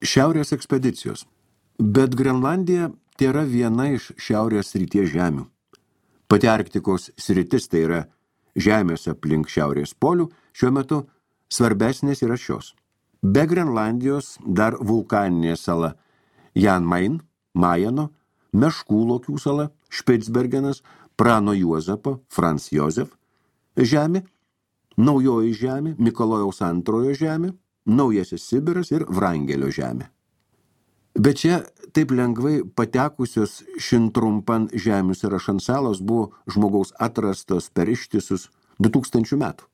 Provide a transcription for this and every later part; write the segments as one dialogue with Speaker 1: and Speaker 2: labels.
Speaker 1: Šiaurės ekspedicijos. Bet Grenlandija tėra viena iš šiaurės srities žemių. Pati Arktikos sritis, tai yra žemės aplink šiaurės polių, šiuo metu svarbesnės yra šios. Be Grenlandijos dar vulkaninė sala Jan Mayen, Majeno, Meškų Lokių sala, Špicbergenas, Prano Juozapo, Franz Josef žemė, Naujoji žemė, Mikalojaus antrojo žemė, Naujasis Sibiras ir Vrangelio žemė. Bet čia taip lengvai patekusios šintrumpan žemių sąrašan salos buvo žmogaus atrastos per ištisus 2000 metų.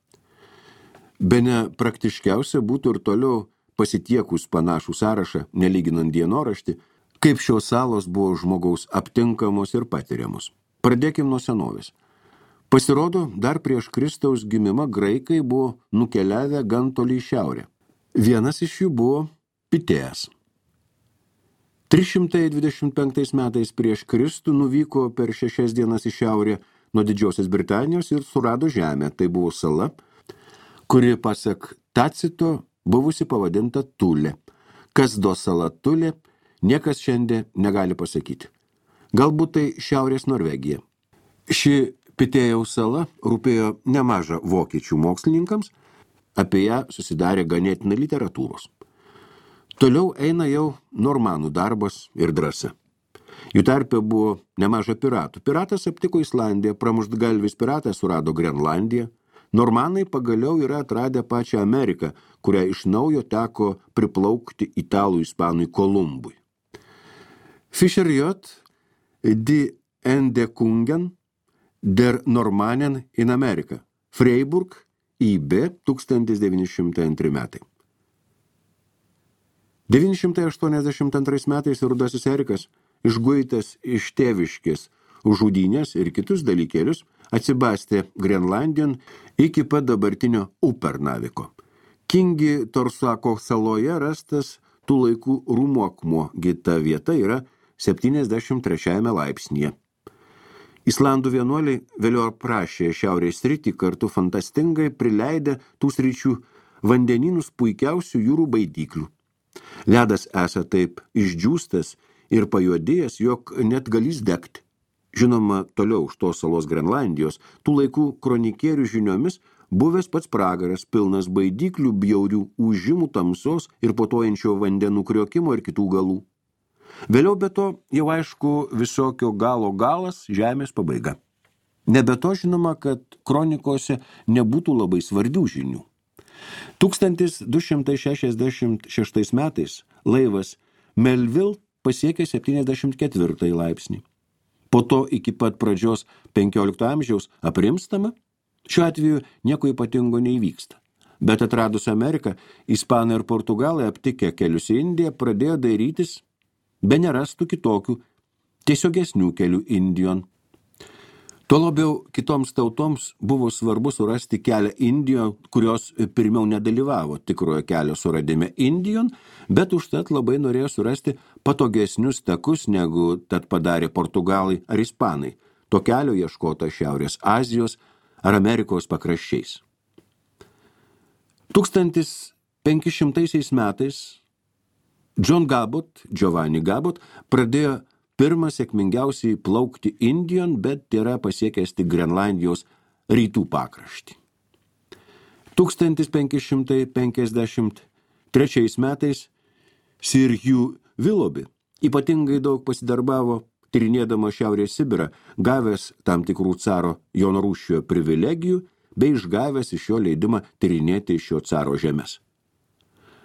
Speaker 1: Bene praktiškiausia būtų ir toliau pasitiekus panašų sąrašą, nelyginant dienoraštį, kaip šios salos buvo žmogaus aptinkamos ir patiriamos. Pradėkim nuo senovės. Pasirodo, dar prieš Kristaus gimimą graikai buvo nukeliavę gan toli į šiaurę. Vienas iš jų buvo Pitėjas. 325 metais prieš Kristų nuvyko per 6 dienas į šiaurę nuo Didžiosios Britanijos ir surado žemę. Tai buvo sala, kuri pasak Tacito buvusi pavadinta Tulė. Kas do sala Tulė, niekas šiandien negali pasakyti. Galbūt tai Šiaurės Norvegija. Ši Pitėjaus sala rūpėjo nemaža vokiečių mokslininkams, apie ją susidarė ganėtinai literatūros. Toliau eina jau normanų darbas ir drąsa. Jų tarpe buvo nemaža piratų. Piratas aptiko Islandiją, pramuštgalvis piratas surado Grenlandiją. Normanai pagaliau yra atradę pačią Ameriką, kurią iš naujo teko priplaukti italų ispanui Kolumbui. Fischer J. Die Entdeckungen der Normannen in Amerika. Freiburg, IB, 1902 metai. 982 metais Rudasis Erikas, išguitas iš tėviškės už žudynės ir kitus dalykėlius, atsibastė Grenlandijon iki pat dabartinio Upernaviko. Kingi Torsako saloje rastas tų laikų rūmokmuo, ta vieta yra 73 laipsnyje. Islandų vienuoliai vėliau aprašė šiaurės sritį kartu fantastingai prileidę tų sričių vandenynus puikiausių jūrų baidyklių. Ledas esą taip išdžiūstas ir pajuodėjęs, jog net galys degti. Žinoma, toliau už tos salos Grenlandijos, tų laikų kronikierių žiniomis, buvęs pats pragaras, pilnas baidyklių, bjaurių ūžimų, tamsos ir putojančio vandenų kriokimo ir kitų galų. Vėliau be to, jau aišku, visokio galo galas, žemės pabaiga. Nebe to žinoma, kad kronikose nebūtų labai svarbių žinių. 1266 metais laivas Melville pasiekė 74 laipsnį. Po to iki pat pradžios 15 amžiaus aprimstama, šiuo atveju nieko ypatingo neįvyksta. Bet atradus Ameriką, ispanai ir portugalai aptikę kelius į Indiją pradėjo dairytis, be nerastų kitokių, tiesiogesnių kelių Indijon. Tuo labiau kitoms tautoms buvo svarbu surasti kelią Indijon, kurios pirmiau nedalyvavo tikrojo kelio suradime Indijon, bet užtat labai norėjo surasti patogesnius takus, negu tad padarė portugalai ar ispanai. To kelio ieškota Šiaurės Azijos ar Amerikos pakraščiais. 1500 metais Giovanni Gabot pradėjo pirmą sėkmingiausiai plaukti Indijon, bet yra pasiekęs tik Grenlandijos rytų pakraštį. 1553 metais Sir Hugh Willoughby ypatingai daug pasidarbavo tyrinėdama Šiaurės Sibirą, gavęs tam tikrų caro Jono Rūsčiojo privilegijų bei išgavęs iš jo leidimą tyrinėti šio caro žemės.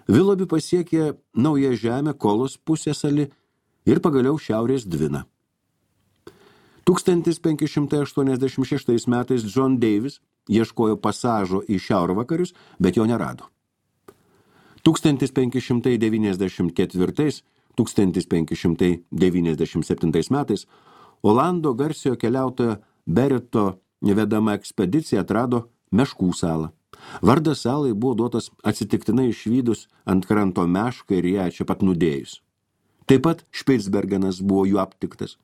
Speaker 1: Willoughby pasiekė Naują Žemę, Kolos pusiasalį ir pagaliau Šiaurės Dviną. 1586 metais John Davis ieškojo pasažo į šiaurvakarius, bet jo nerado. 1594-1597 metais Olando garsiojo keliautojo Bereto vedama ekspedicija atrado Meškų salą. Vardas salai buvo duotas atsitiktinai išvydus ant kranto mešką ir ją čia pat nudėjus. Taip pat Špicbergenas buvo jų aptiktas.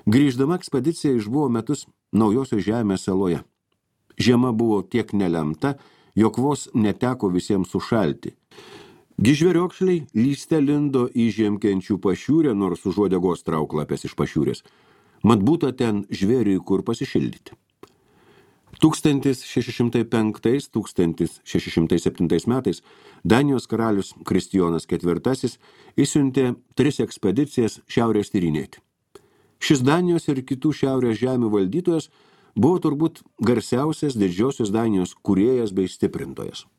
Speaker 1: Grįždama ekspedicija išbuvo metus Naujosios Žemės saloje. Žiema buvo tiek nelemta, jog vos neteko visiems sušalti. Gižveriokšliai lyste lindo į žiemkenčių pašiūrę, nors už uodegos trauklapės iš pašiūrės. Mat būta ten žvėriui kur pasišildyti. 1605–1607 metais Danijos karalius Kristijonas IV įsiuntė 3 ekspedicijas šiaurės tyrinėti. Šis Danijos ir kitų šiaurės žemių valdytojas buvo turbūt garsiausias didžiosios Danijos kūrėjas bei stiprintojas.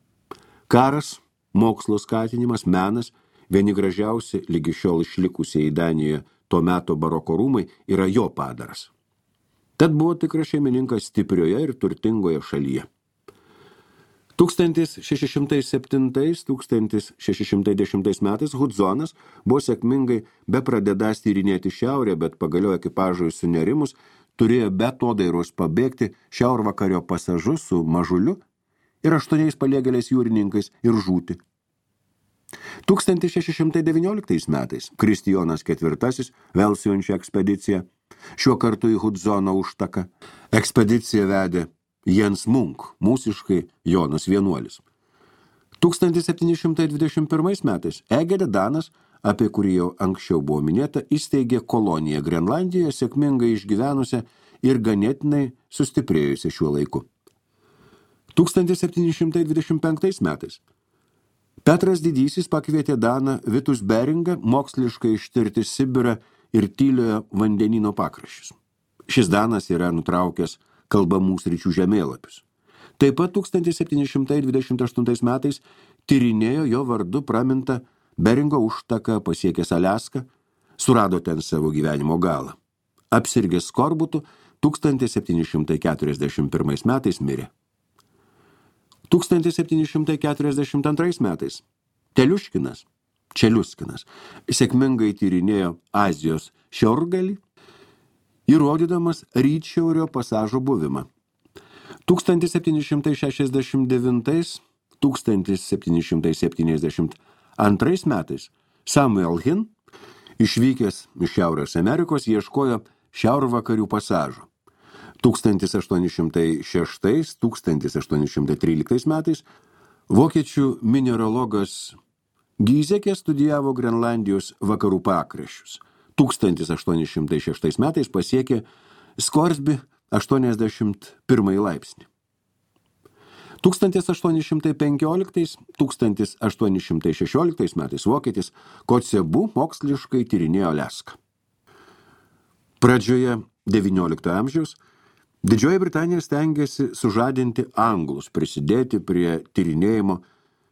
Speaker 1: Karas, mokslo skatinimas, menas, vieni gražiausi lygi šiol išlikusieji Danijoje to meto baroko rūmai yra jo padaras. Tad buvo tikras šeimininkas stiprioje ir turtingoje šalyje. 1607–1610 metais Hudzonas buvo sėkmingai bepradedąs tyrinėti šiaurę, bet pagaliau ekipažui sunerimus turėjo be atodairos pabėgti šiaurvakario pasažu su mažuliu ir 8 paliegėliais jūrininkais ir žūti. 1619 metais Kristijonas IV vėl siunčia ekspediciją, šiuo kartu į Hudzono užtaką. Ekspediciją vedė Jens Munk, mūsiškai Jonas Vienuolis. 1721 metais Egede Danas, apie kurį jau anksčiau buvo minėta, įsteigė koloniją Grenlandijoje, sėkmingai išgyvenusią ir ganėtinai sustiprėjusią šiuo laiku. 1725 metais Petras Didysis pakvietė Daną Vitus Beringą moksliškai ištirti Sibirą ir tyliojo vandenyno pakraščius. Šis Danas yra nutraukęs kalbamų sričių žemėlapius. Taip pat 1728 metais tyrinėjo jo vardu pramintą Beringo užtaką, pasiekęs Aliaską, surado ten savo gyvenimo galą. Apsirgęs skorbutu 1741 metais mirė. 1742 metais Čeliuskinas sėkmingai tyrinėjo Azijos šiaurgalį, įrodydamas rytšiaurio pasažo buvimą. 1769–1772 metais Samuel Hin, išvykęs iš Šiaurės Amerikos, ieškojo šiaurvakarių pasažo. 1806–1813 metais vokiečių mineralogas Gizekė studijavo Grenlandijos vakarų pakraščius. 1806 metais pasiekė Skorsby 81 laipsnį. 1815–1816 metais vokietis Kotzebu moksliškai tyrinėjo Aliaską. Pradžioje XIX amžiaus Didžioji Britanija stengiasi sužadinti anglus, prisidėti prie tyrinėjimo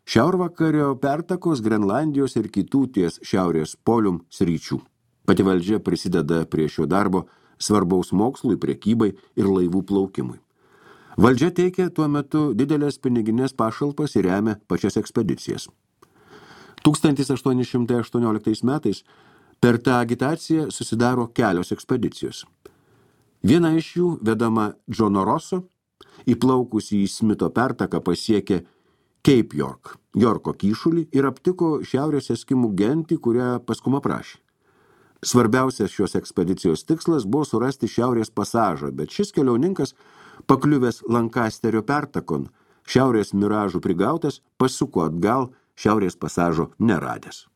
Speaker 1: šiaurvakario pertakos, Grenlandijos ir kitų ties šiaurės polium sričių. Pati valdžia prisideda prie šio darbo svarbaus mokslui, prekybai ir laivų plaukimui. Valdžia teikia tuo metu didelės piniginės pašalpas ir remia pačias ekspedicijas. 1818 metais per tą agitaciją susidaro kelios ekspedicijos. Viena iš jų, vedama Džono Rosso, įplaukusi į Smito pertaką pasiekė Cape York, Jorko kyšulį ir aptiko šiaurės eskimų gentį, kurią paskui aprašė. Svarbiausias šios ekspedicijos tikslas buvo surasti šiaurės pasažą, bet šis keliauninkas, pakliuvęs Lankasterio pertakon, šiaurės miražų prigautas, pasuko atgal, šiaurės pasažo neradęs.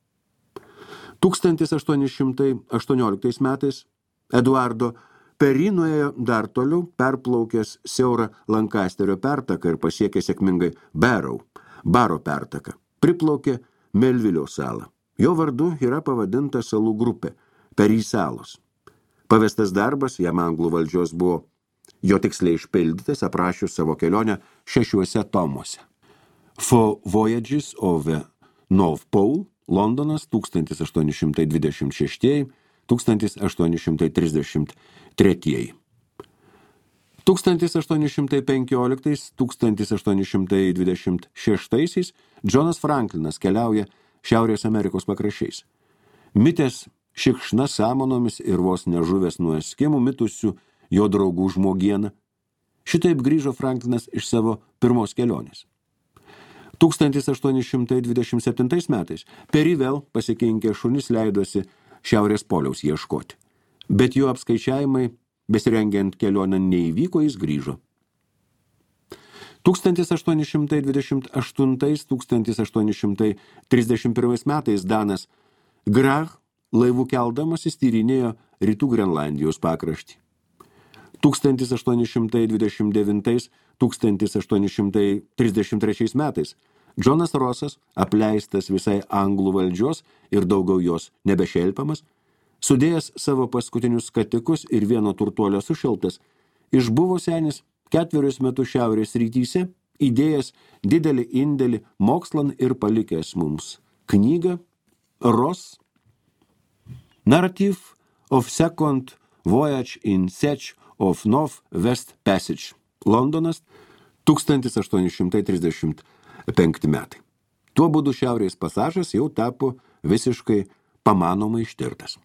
Speaker 1: 1818 metais Eduardo Peri nuėjo dar toliau, perplaukęs siaurą Lankasterio pertaką ir pasiekė sėkmingai Baro pertaką. Priplaukė Melvilio salą. Jo vardu yra pavadinta salų grupė Peri salos. Pavestas darbas jam anglų valdžios buvo jo tiksliai išpildytas, aprašius savo kelionę 6 tomuose. Four Voyages of the North Pole, Londonas, 1826–1833. 1815–1826 Džonas Franklinas keliauja Šiaurės Amerikos pakraščiais. Mitęs šikšna samanomis ir vos nežuvęs nuo eskimų mitusių jo draugų žmogieną. Šitaip grįžo Franklinas iš savo pirmos kelionės. 1827 metais Peri vėl pasikinkė šunis leidosi Šiaurės poliaus ieškoti. Bet jo apskaičiavimai, besirengiant kelionę, neįvyko, jis grįžo. 1828–1831 metais Danas Grach laivų keldamasis tyrinėjo rytų Grenlandijos pakraštį. 1829–1833 metais Džonas Rosas, apleistas visai anglų valdžios ir daugiau jos nebešelpiamas, sudėjęs savo paskutinius skatikus ir vieno turtuolio sušeltas, išbuvo senis 4 metus šiaurės rytyse, įdėjęs didelį indėlį mokslan ir palikęs mums knygą Ross Narrative of Second Voyage in Search of North West Passage, Londonas, 1835 metai. Tuo būdu šiaurės pasažas jau tapo visiškai pamanomai ištirtas.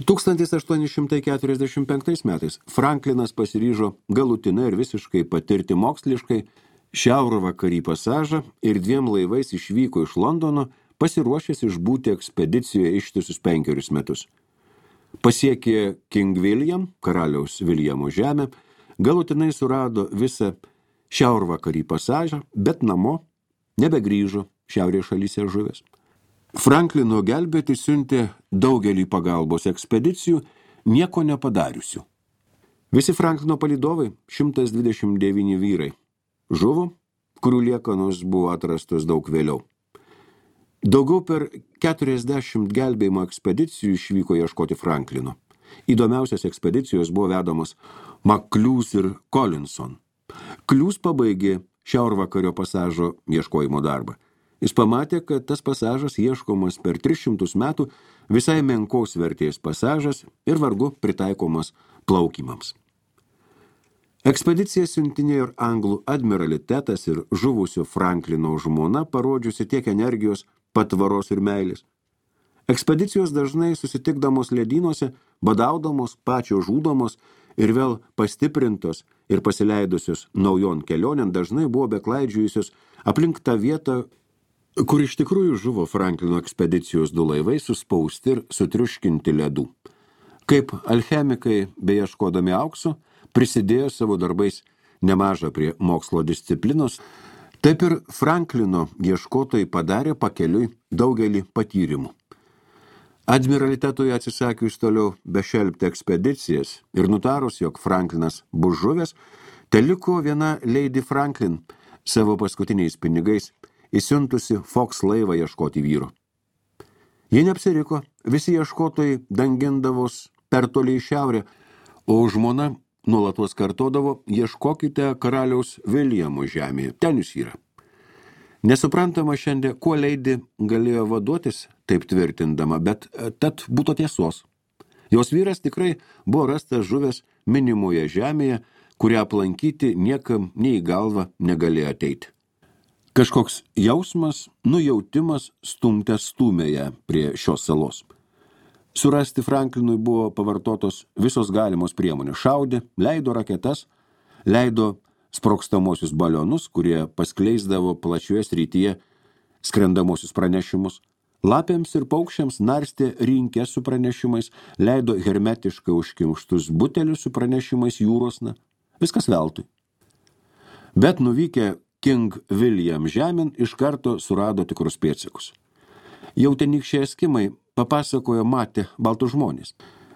Speaker 1: 1845 metais Franklinas pasiryžo galutinai ir visiškai patirti moksliškai šiaurvakarį pasažą ir 2 laivais išvyko iš Londono, pasiruošęs išbūti ekspedicijoje ištisus 5 metus. Pasiekė King William, karaliaus Viljamo žemę, galutinai surado visą šiaurvakarį pasažą, bet namo nebegrįžo šiaurės šalyse žuvęs. Franklino gelbėti siuntė daugelį pagalbos ekspedicijų, nieko nepadariusių. Visi Franklino palydovai, 129 vyrai, žuvo, kurių liekanos buvo atrastos daug vėliau. Daugiau per 40 gelbėjimo ekspedicijų išvyko ieškoti Franklino. Įdomiausios ekspedicijos buvo vedamos McClues ir Collinson. Clues pabaigė šiaurvakario pasažo ieškojimo darbą. Jis pamatė, kad tas pasažas ieškomas per 300 metų, visai menkos vertės pasažas ir vargu pritaikomas plaukimams. Ekspediciją siuntinėjo ir anglų admiralitetas ir žuvusio Franklino žmona, parodžiusi tiek energijos, patvaros ir meilės. Ekspedicijos dažnai susitikdamos ledynuose, badaudamos, pačios žūdamos ir vėl pastiprintos ir pasileidusios naujon kelionėn dažnai buvo beklaidžiusios aplink tą vietą, kur iš tikrųjų žuvo Franklino ekspedicijos 2 laivai suspausti ir sutriuškinti ledų. Kaip alchemikai, beieškodami aukso, prisidėjo savo darbais nemažą prie mokslo disciplinos, taip ir Franklino ieškotojai padarė pakeliui daugelį patyrimų. Admiralitetui atsisakius toliau bešelpti ekspedicijas ir nutarus, jog Franklinas bus žuvęs, teliko viena Lady Franklin savo paskutiniais pinigais įsiuntusi Fox laivą ieškoti vyro. Jie neapsiriko, visi ieškotojai dangindavos per toli į šiaurę, o žmona nuolatos kartodavo, ieškokite karaliaus Viljamo žemėje, ten jūs yra. Nesuprantama šiandien, kuo Lady galėjo vaduotis, taip tvirtindama, bet tad būtų tiesos. Jos vyras tikrai buvo rastas žuvęs minimoje žemėje, kurią aplankyti niekam nei į galvą negalėjo ateiti. Kažkoks jausmas, nujautimas stūmė ją prie šios salos. Surasti Franklinui buvo pavartotos visos galimos priemonės. Šaudė, leido raketas, leido sprogstamosius balionus, kurie paskleisdavo plačioje srityje skrendamosius pranešimus. Lapėms ir paukščiams narstė rinkės su pranešimais, leido hermetiškai užkimštus butelius su pranešimais jūrosna. Viskas veltui. Bet nuvykę King William žemėn iš karto surado tikrus pėdsakus. Jau tenykščiai eskimai papasakojo matė baltus žmonės.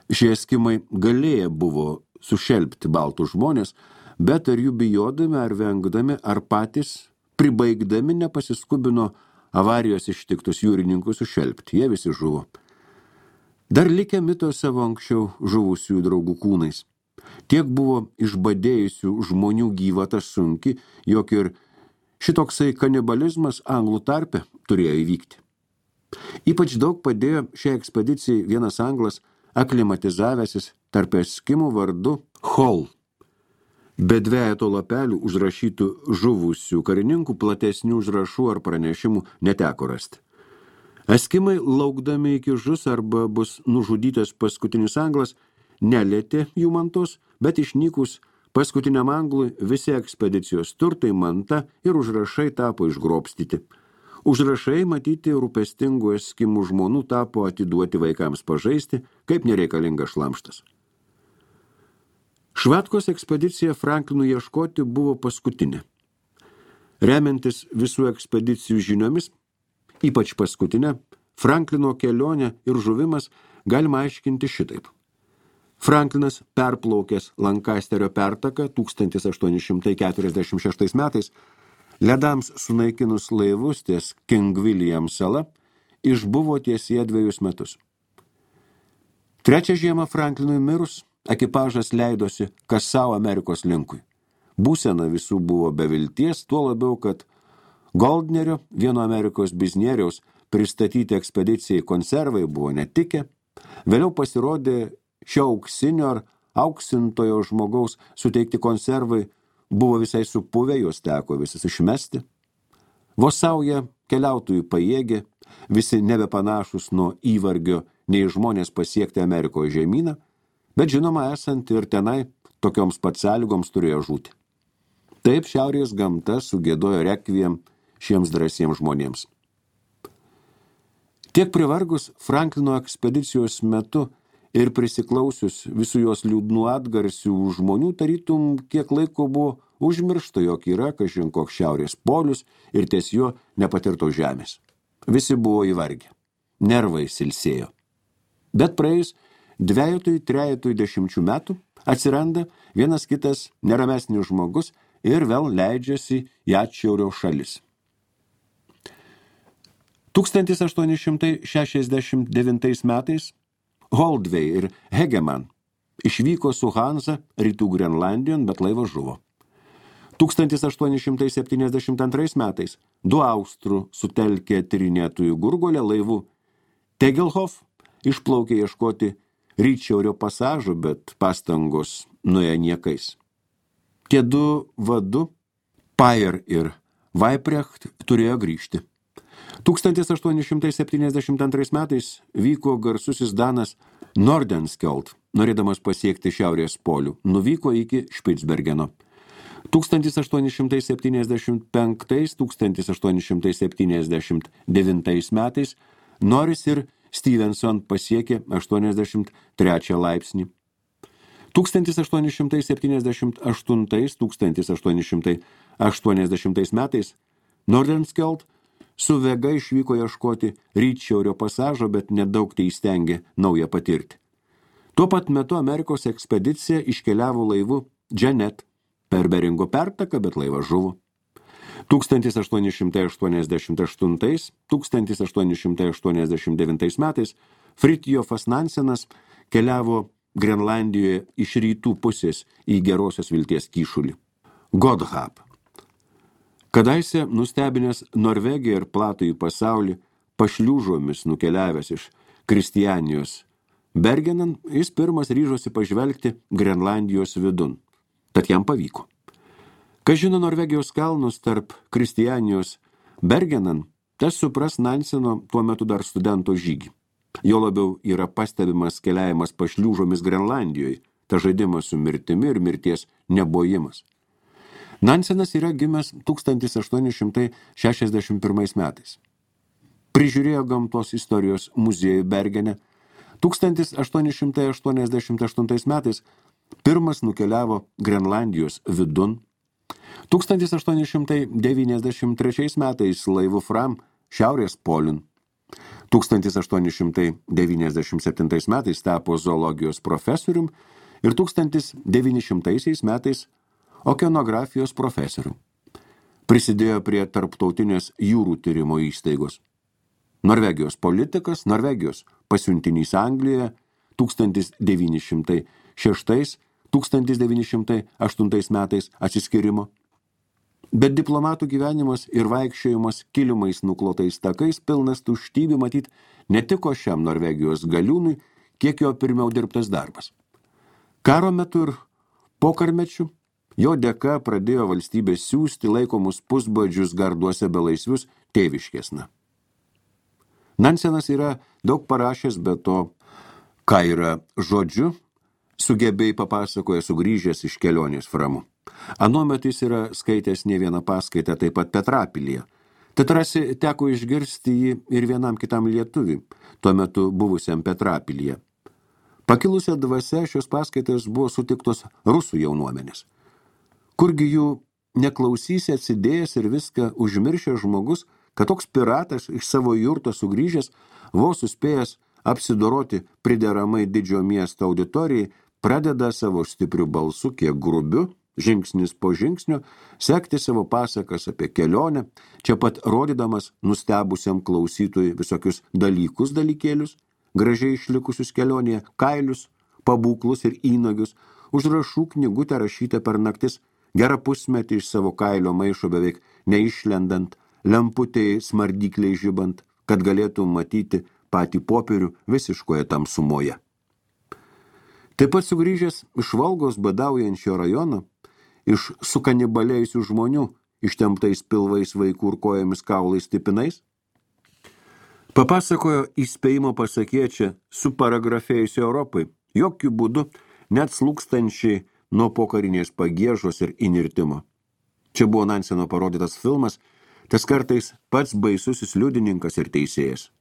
Speaker 1: Šie eskimai galėję buvo sušelpti baltus žmonės, bet ar jų bijodami, ar vengdami, ar patys pribaigdami nepasiskubino avarijos ištiktus jūrininkus sušelpti. Jie visi žuvo. Dar likę mito savo anksčiau žuvusių draugų kūnais. Tiek buvo išbadėjusių žmonių gyvata sunki, jog ir šitoksai kanibalizmas anglų tarpe turėjo įvykti. Ypač daug padėjo šiai ekspedicijai vienas anglas aklimatizavęsis tarp eskimų vardu Hall. Be 2 lapelių užrašytų žuvusių karininkų platesnių užrašų ar pranešimų neteko rasti. Eskimai, laukdami iki žus arba bus nužudytas paskutinis anglas, nelietė jų mantos, bet išnykus paskutiniam anglui visi ekspedicijos turtai, manta ir užrašai tapo išgrobstyti. Užrašai matyti rūpestingų eskimų žmonų tapo atiduoti vaikams pažaisti, kaip nereikalingas šlamštas. Švatkos ekspedicija Franklinui ieškoti buvo paskutinė. Remiantis visų ekspedicijų žiniomis, ypač paskutinę, Franklino kelionę ir žuvimas galima aiškinti šitaip. Franklinas, perplaukęs Lankasterio pertaką 1846 metais, ledams sunaikinus laivus ties King William sala, išbuvo tiesie 2 metus. Trečią žiemą Franklinui mirus, ekipažas leidosi kas savo Amerikos linkui. Būsena visų buvo be vilties, tuo labiau, kad Goldnerio, vieno Amerikos biznieriaus, pristatyti ekspedicijai konservai buvo netikę. Vėliau pasirodė šio auksinio ar auksintojo žmogaus suteikti konservai buvo visai supuvę, juos teko visas išmesti. Vos sauja keliautojų pajėgė, visi nebepanašus nuo įvargio nei žmonės pasiekti Amerikos žemyną, bet žinoma esant ir tenai tokioms pat sąlygoms turėjo žūti. Taip šiaurės gamta sugiedojo rekviem šiems drąsiems žmonėms. Tiek privargus Franklino ekspedicijos metu ir prisiklausius visų jos liūdnų atgarsių žmonių, tarytum kiek laiko buvo užmiršta, jog yra kažin koks šiaurės polius ir ties jo nepatirto žemės. Visi buvo įvargę, nervai silsėjo. Bet praėjus 2-3 metų atsiranda vienas kitas neramesnis žmogus ir vėl leidžiasi į atšiaurio šalis. 1869 metais Holdvey ir Hegeman išvyko su Hansa rytų Grenlandijon, bet laivas žuvo. 1872 metais 2 austrų sutelkė tyrinėtojų Gurgolę laivų Tegelhof išplaukė ieškoti rytšiaurio pasažo, bet pastangos nuėjo niekais. Tie 2 vadu, Payer ir Weiprecht, turėjo grįžti. 1872 metais vyko garsusis danas Nordenskjold, norėdamas pasiekti šiaurės polių, nuvyko iki Špicbergeno. 1875-1879 metais Norris ir Stevenson pasiekė 83 laipsnį. 1878-1880 metais Nordenskjold su Vega išvyko ieškoti rytšiaurio pasažo, bet nedaug teįstengė naują patirti. Tuo pat metu Amerikos ekspedicija iškeliavo laivu Janet per Beringo pertaką, bet laivas žuvo. 1888-1889 metais Fridtjofas Nansenas keliavo Grenlandijoje iš rytų pusės į Gerosios vilties kyšulį. Godhab. Kadaise nustebinęs Norvegiją ir platųjį pasaulį, pašliūžomis nukeliavęs iš Kristianijos Bergenan, jis pirmas ryžosi pažvelgti Grenlandijos vidun. Tad jam pavyko. Kas žino Norvegijos kalnus tarp Kristianijos Bergenan, tas supras Nanseno tuo metu dar studento žygį. Jo labiau yra pastebimas keliavimas pašliūžomis Grenlandijoje, ta žaidimas su mirtimi ir mirties nebojimas. Nansenas yra gimęs 1861 metais. Prižiūrėjo gamtos istorijos muziejų Bergene. 1888 metais pirmas nukeliavo Grenlandijos vidun. 1893 metais laivu Fram šiaurės polin. 1897 metais tapo zoologijos profesorium ir 1900 metais okeanografijos profesorium. Prisidėjo prie tarptautinės jūrų tyrimo įstaigos. Norvegijos politikas, Norvegijos pasiuntinys Anglijoje 1906-1908 metais atsiskyrimo. Bet diplomatų gyvenimas ir vaikščiojimas kilimais nuklotais takais pilnas tuštybių matyt netiko šiam Norvegijos galiūnui, kiek jo pirmiau dirbtas darbas. Karo metu ir pokarmečių jo dėka pradėjo valstybė siųsti laikomus pusbadžius garduose belaisvius tėviškėsna. Nansenas yra daug parašęs, bet to, ką yra žodžiu, sugebėjai papasakoja sugrįžęs iš kelionės Framu. Anuomet jis yra skaitęs ne vieną paskaitą taip pat Petrapilyje. Tad rasi teko išgirsti jį ir vienam kitam lietuviui, tuo metu buvusiam Petrapilyje. Pakilusią dvasia šios paskaitos buvo sutiktos rusų jaunuomenės. Kurgi jų neklausysi atsidėjęs ir viską užmiršęs žmogus, kad toks piratas iš savo jurto sugrįžęs, vos suspėjęs apsidoroti prideramai didžio miesto auditorijai, pradeda savo stipriu balsu, kiek grubiu, žingsnis po žingsnio, sekti savo pasakas apie kelionę, čia pat rodydamas nustebusiam klausytojui visokius dalykėlius, gražiai išlikusius kelionėje, kailius, pabūklus ir įnagius, užrašų knygutę rašytą per naktis, gerą pusmetį iš savo kailio maišo beveik neišlendant, lemputėje smardykliai žibant, kad galėtų matyti patį popierių visiškoje tamsumoje. Taip pat sugrįžęs iš Volgos badaujančio rajono, iš sukanibalėjusių žmonių, ištemptais pilvais vaikų ir kojomis kaulais tipinais, papasakojo įspėjimo pasakėčią su paragrafėjusi Europai, jokių būdų net slūkstančiai nuo pokarinės pagiežos ir inirtimo. Čia buvo Nanseno parodytas filmas, tas kartais pats baisusis liudininkas ir teisėjas.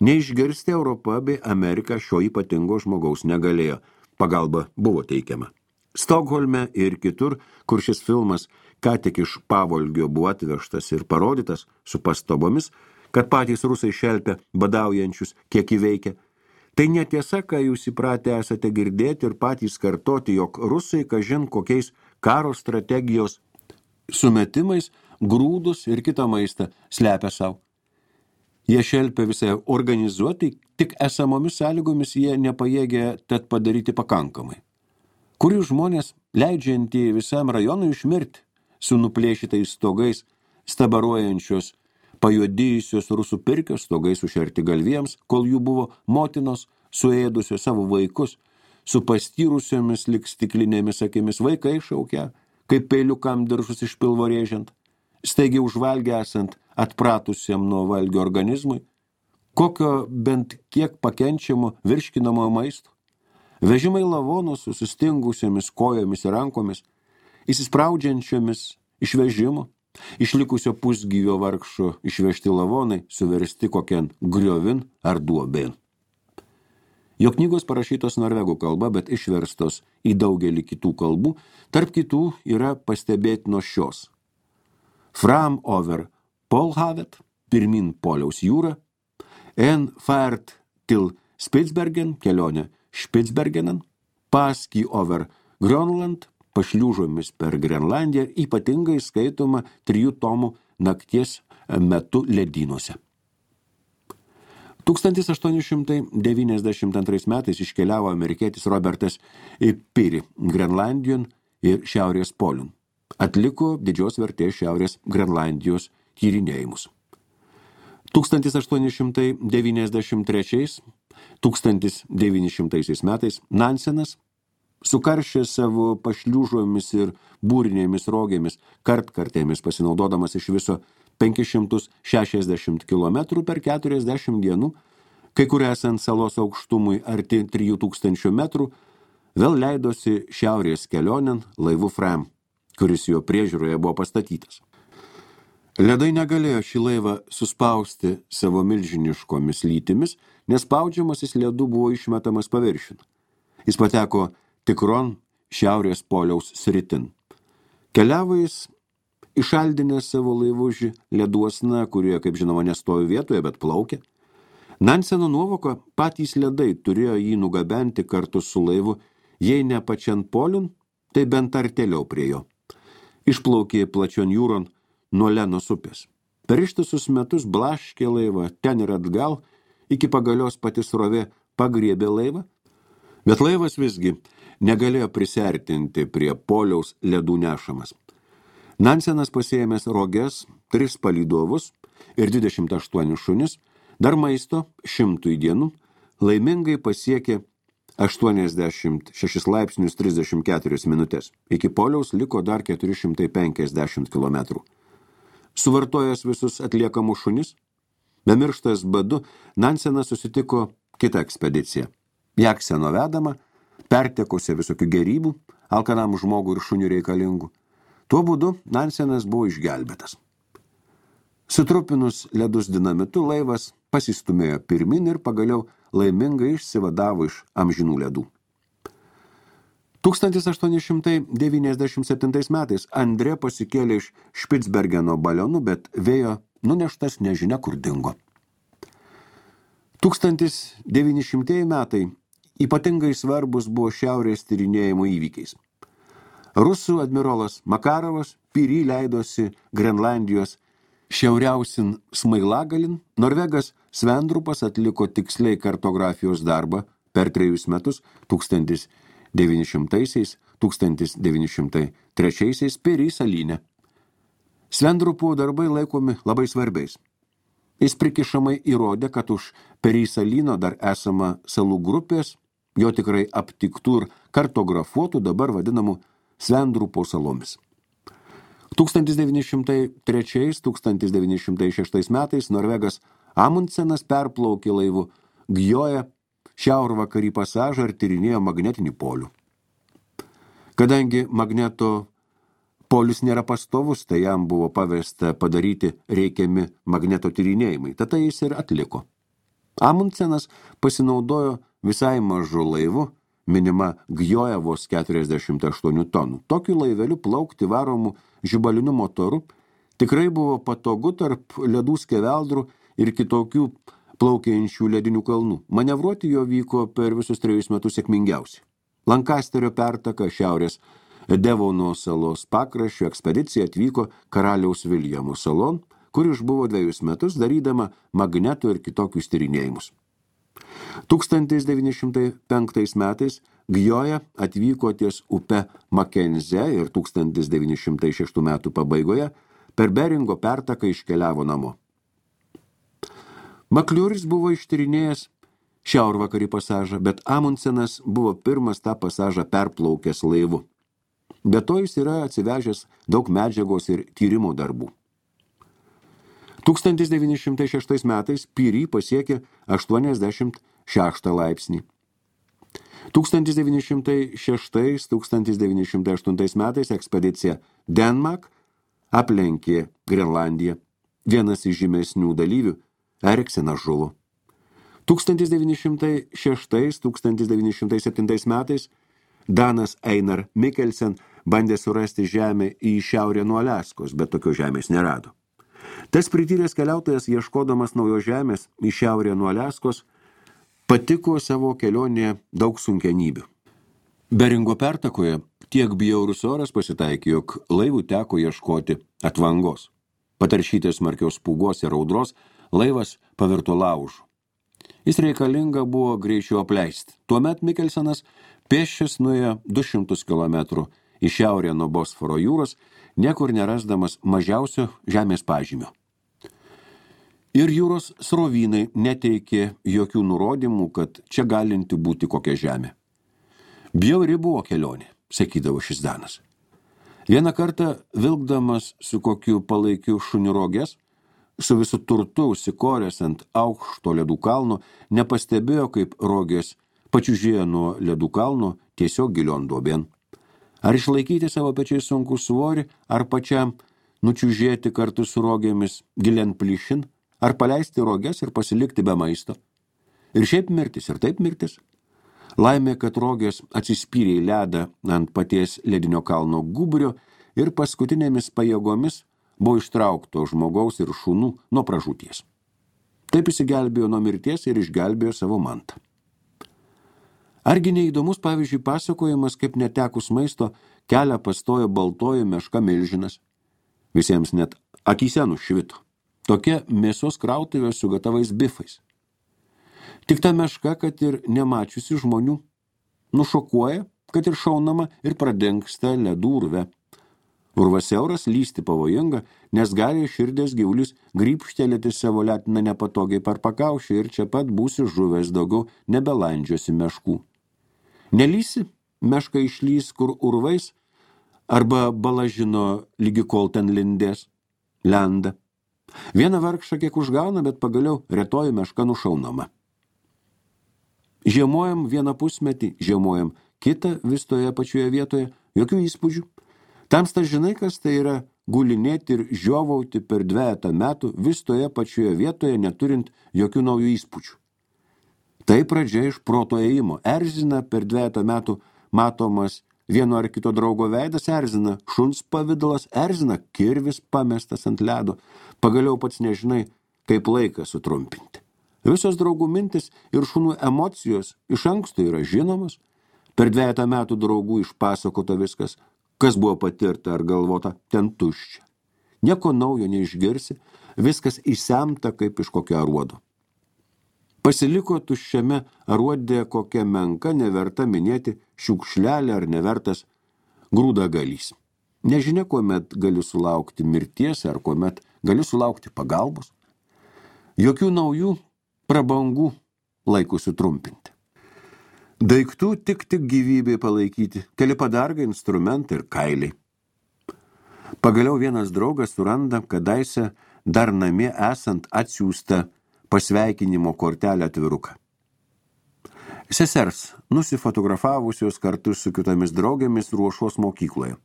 Speaker 1: Neišgirsti Europa bei Amerika šio ypatingo žmogaus negalėjo, pagalba buvo teikiama. Stokholme ir kitur, kur šis filmas ką tik iš pavolgio buvo atvežtas ir parodytas su pastabomis, kad patys rusai šelpia badaujančius, kiek įveikia. Tai netiesa, ką jūs įpratę esate girdėti ir patys kartoti, jog rusai, kažin kokiais karo strategijos sumetimais, grūdus ir kitą maistą slepia savo. Jie šelpia visai organizuotai, tik esamomis sąlygomis jie nepajėgia tad padaryti pakankamai. Kurių žmonės leidžiantį visam rajonui išmirti su nuplėšytais stogais, stabaruojančios, pajuodėjusios rusų pirkios stogais sušerti galviems, kol jų buvo motinos, suėdusios savo vaikus, su pastyrusiomis lik stiklinėmis akimis vaikai šaukia, kaip peiliukam diržus iš pilvo rėžiant, staigiai užvalgę esant atpratusiam nuo valgio organizmui, kokio bent kiek pakenčiamo virškinamo maisto, vežimai lavonų su sustingusiamis kojomis ir rankomis, įsispraudžiančiomis išvežimo, išlikusio pusgyvio vargšo išvežti lavonai, suversti kokian griovin ar duobėn. Jo knygos parašytos norvegų kalba, bet išverstos į daugelį kitų kalbų, tarp kitų yra pastebėtinos šios. Fram over Polhavet, pirmin Poliaus jūra, en färt til Spitsbergen, kelionė Spitsbergenen, paskui over Grönland, pašliūžomis per Grenlandiją, ypatingai skaitoma 3 tomų nakties metu ledynuose. 1892 metais iškeliavo amerikietis Robertas Peary Grenlandijon ir Šiaurės poliun. Atliko didžios vertės Šiaurės Grenlandijos tyrinėjimus. 1893-1900 metais Nansenas, sukaršęs savo pašliūžomis ir būrinėmis rogėmis, kartkartėmis pasinaudodamas iš viso 560 km per 40 dienų, kai kur esant salos aukštumui arti 3000 metrų, vėl leidosi šiaurės kelionėn laivu Fram, kuris jo priežiūroje buvo pastatytas. Ledai negalėjo šį laivą suspausti savo milžiniškomis lytimis, nes spaudžiamasis ledų buvo išmetamas paviršiun. Jis pateko tikron šiaurės poliaus sritin. Keliavo jis išaldinęs savo laivužį leduosna, kurie, kaip žinoma, nestovi vietoje, bet plaukia. Nanseno nuovoka patys ledai turėjo jį nugabenti kartu su laivu, jei ne pačian poliun, tai bent artėliau prie jo. Išplaukė plačion jūron nuo Lenos upės. Per ištisus metus blaškė laivą ten ir atgal, iki pagalios pati srovė pagriebė laivą, bet laivas visgi negalėjo prisertinti prie poliaus ledų nešamas. Nansenas pasiėmęs roges, 3 palydovus ir 28 šunis, dar maisto 100 dienų, laimingai pasiekė 86 laipsnius 34 minutės. Iki poliaus liko dar 450 kilometrų. Suvartojęs visus atliekamus šunis, bemirštas badu, Nansenas susitiko kitą ekspediciją. Jakseno vedama, pertekusi visokių gerybų, alkanam žmogų ir šunių reikalingų. Tuo būdu Nansenas buvo išgelbėtas. Sutrupinus ledus dinamitu, laivas pasistumėjo pirmin ir pagaliau laimingai išsivadavo iš amžinų ledų. 1897 metais Andrė pasikėlė iš Špicbergeno balionu, bet vėjo nuneštas nežinia kur dingo. 1900 metai ypatingai svarbus buvo šiaurės tyrinėjimo įvykiais. Rusų admirolas Makarovas Piry leidosi Grenlandijos šiauriausin smailagalin, norvegas Svendrupas atliko tiksliai kartografijos darbą per 3 metus 1900–1903 Piry salyne. Svendrupo darbai laikomi labai svarbiais. Jis prikišamai įrodė, kad už Piry salyno dar esama salų grupės, jo tikrai aptiktų ir kartografuotų dabar vadinamų Svendrupo salomis. 1903–1906 metais norvegas Amundsenas perplaukė laivu Gjoja šiaurvakarį pasažą ir tyrinėjo magnetinį polių. Kadangi magneto polius nėra pastovus, tai jam buvo pavesta padaryti reikiami magneto tyrinėjimai, tada jis ir atliko. Amundsenas pasinaudojo visai mažu laivu, minima Gjoja vos 48 tonų. Tokiu laiveliu plaukti varomų žibaliniu motoru tikrai buvo patogu tarp ledų skeveldrų ir kitokių plaukiančių ledinių kalnų. Manevruoti jo vyko per visus 3 metus sėkmingiausiai. Lankasterio pertaka šiaurės Devono salos pakraščio ekspedicija atvyko karaliaus Viljamo salon, kur išbuvo 2 metus darydama magnetų ir kitokius tyrinėjimus. 1905 metais Gjoja atvyko ties upe Makenze ir 1906 metų pabaigoje per Beringo pertaką iškeliavo namo. Makliuris buvo ištyrinėjęs šiaurvakarį pasažą, bet Amundsenas buvo pirmas tą pasažą perplaukęs laivu. Be to jis yra atsivežęs daug medžiagos ir tyrimo darbų. 1906 metais Piry pasiekė 86 laipsnį. 1906–1908 metais ekspedicija Denmark aplenkė Grenlandiją. Vienas iš žymesnių dalyvių Eriksenas žuvo. 1906–1907 metais Danas Einar Mikkelsen bandė surasti žemę į šiaurę nuo Aliaskos, bet tokios žemės nerado. Tas prityręs keliautojas, ieškodamas naujos žemės į šiaurę nuo Aliaskos, patiko savo kelionėje daug sunkenybių. Beringo pertakoje tiek bjaurus oras pasitaikė, jog laivų teko ieškoti atvangos. Pataršytės smarkios pūgos ir audros, laivas pavirto laužu. Jis reikalinga buvo greičiau apleisti. Tuomet Mikkelsenas pėsčias nuėjo 200 km į šiaurę nuo Bosforo jūros, niekur nerasdamas mažiausio žemės pažymio. Ir jūros srovynai neteikė jokių nurodymų, kad čia galinti būti kokia žemė. Bjauri buvo kelionė, sakydavo šis Danas. Vieną kartą vilkdamas su kokiu palaikiu šunirogės, su visu turtu užsikoręs ant aukšto ledų kalno, nepastebėjo, kaip rogės pačiužėjo nuo ledų kalno tiesiog gilion duobėn. Ar išlaikyti savo pečiais sunkų svorį, ar pačiam nučiužėti kartu su rogėmis gilian plyšin, ar paleisti roges ir pasilikti be maisto. Ir šiaip mirtis, ir taip mirtis. Laimė, kad rogės atsispyrė į ledą ant paties ledinio kalno gubrio ir paskutinėmis pajėgomis buvo ištraukto žmogaus ir šunų nuo pražūties. Taip išsigelbėjo nuo mirties ir išgelbėjo savo mantą. Argi neįdomus, pavyzdžiui, pasakojimas, kaip netekus maisto kelią pastojo baltoji meška milžinas. Visiems net akyse nušvito. Tokia mėsos krautuvė su gatavais bifais. Tik ta meška, kad ir nemačiusi žmonių, nušokuoja, kad ir šaunama ir pradengsta ledų urve. Urvas siauras, lysti pavojinga, nes gali širdės gyvulis grybštelėti savo letiną nepatogiai per pakaušį ir čia pat būsi žuvęs, daugiau nebelandžiosi meškų. Nelysi, meška išlys kur urvais, arba balažino lygi kol ten lindės, lenda. Vieną vargšą kiek užgauna, bet pagaliau retoji meška nušaunama. Žiemojam vieną pusmetį, žiemojam kitą vis toje pačioje vietoje, jokių įspūdžių. Tamsta žinai, kas tai yra gulinėti ir žiovauti per 2 metų vis toje pačioje vietoje, neturint jokių naujų įspūdžių. Tai pradžia iš proto ėjimo. Erzina per 2 metų matomas vieno ar kito draugo veidas, erzina šuns pavidalas, erzina kirvis pamestas ant ledo, pagaliau pats nežinai, kaip laiką sutrumpinti. Visos draugų mintis ir šunų emocijos iš anksto yra žinomos, per 2 metų draugų išpasakota viskas, kas buvo patirta ar galvota, ten tuščia. Nieko naujo neišgirsi, viskas įsemta kaip iš kokio aruodo. Pasiliko tuščiame aruodė kokia menka, neverta minėti šiukšlelė ar nevertas grūdagalys. Nežinia, kuomet gali sulaukti mirties ar kuomet gali sulaukti pagalbos. Jokių naujų prabangų laikų sutrumpinti. Daiktų tik gyvybei palaikyti, keli padargai, instrumentai ir kailiai. Pagaliau vienas draugas suranda kadaise dar namie esant atsiųstą pasveikinimo kortelę atviruką. Sesers, nusifotografavusios kartu su kitomis draugėmis Ruošos mokykloje.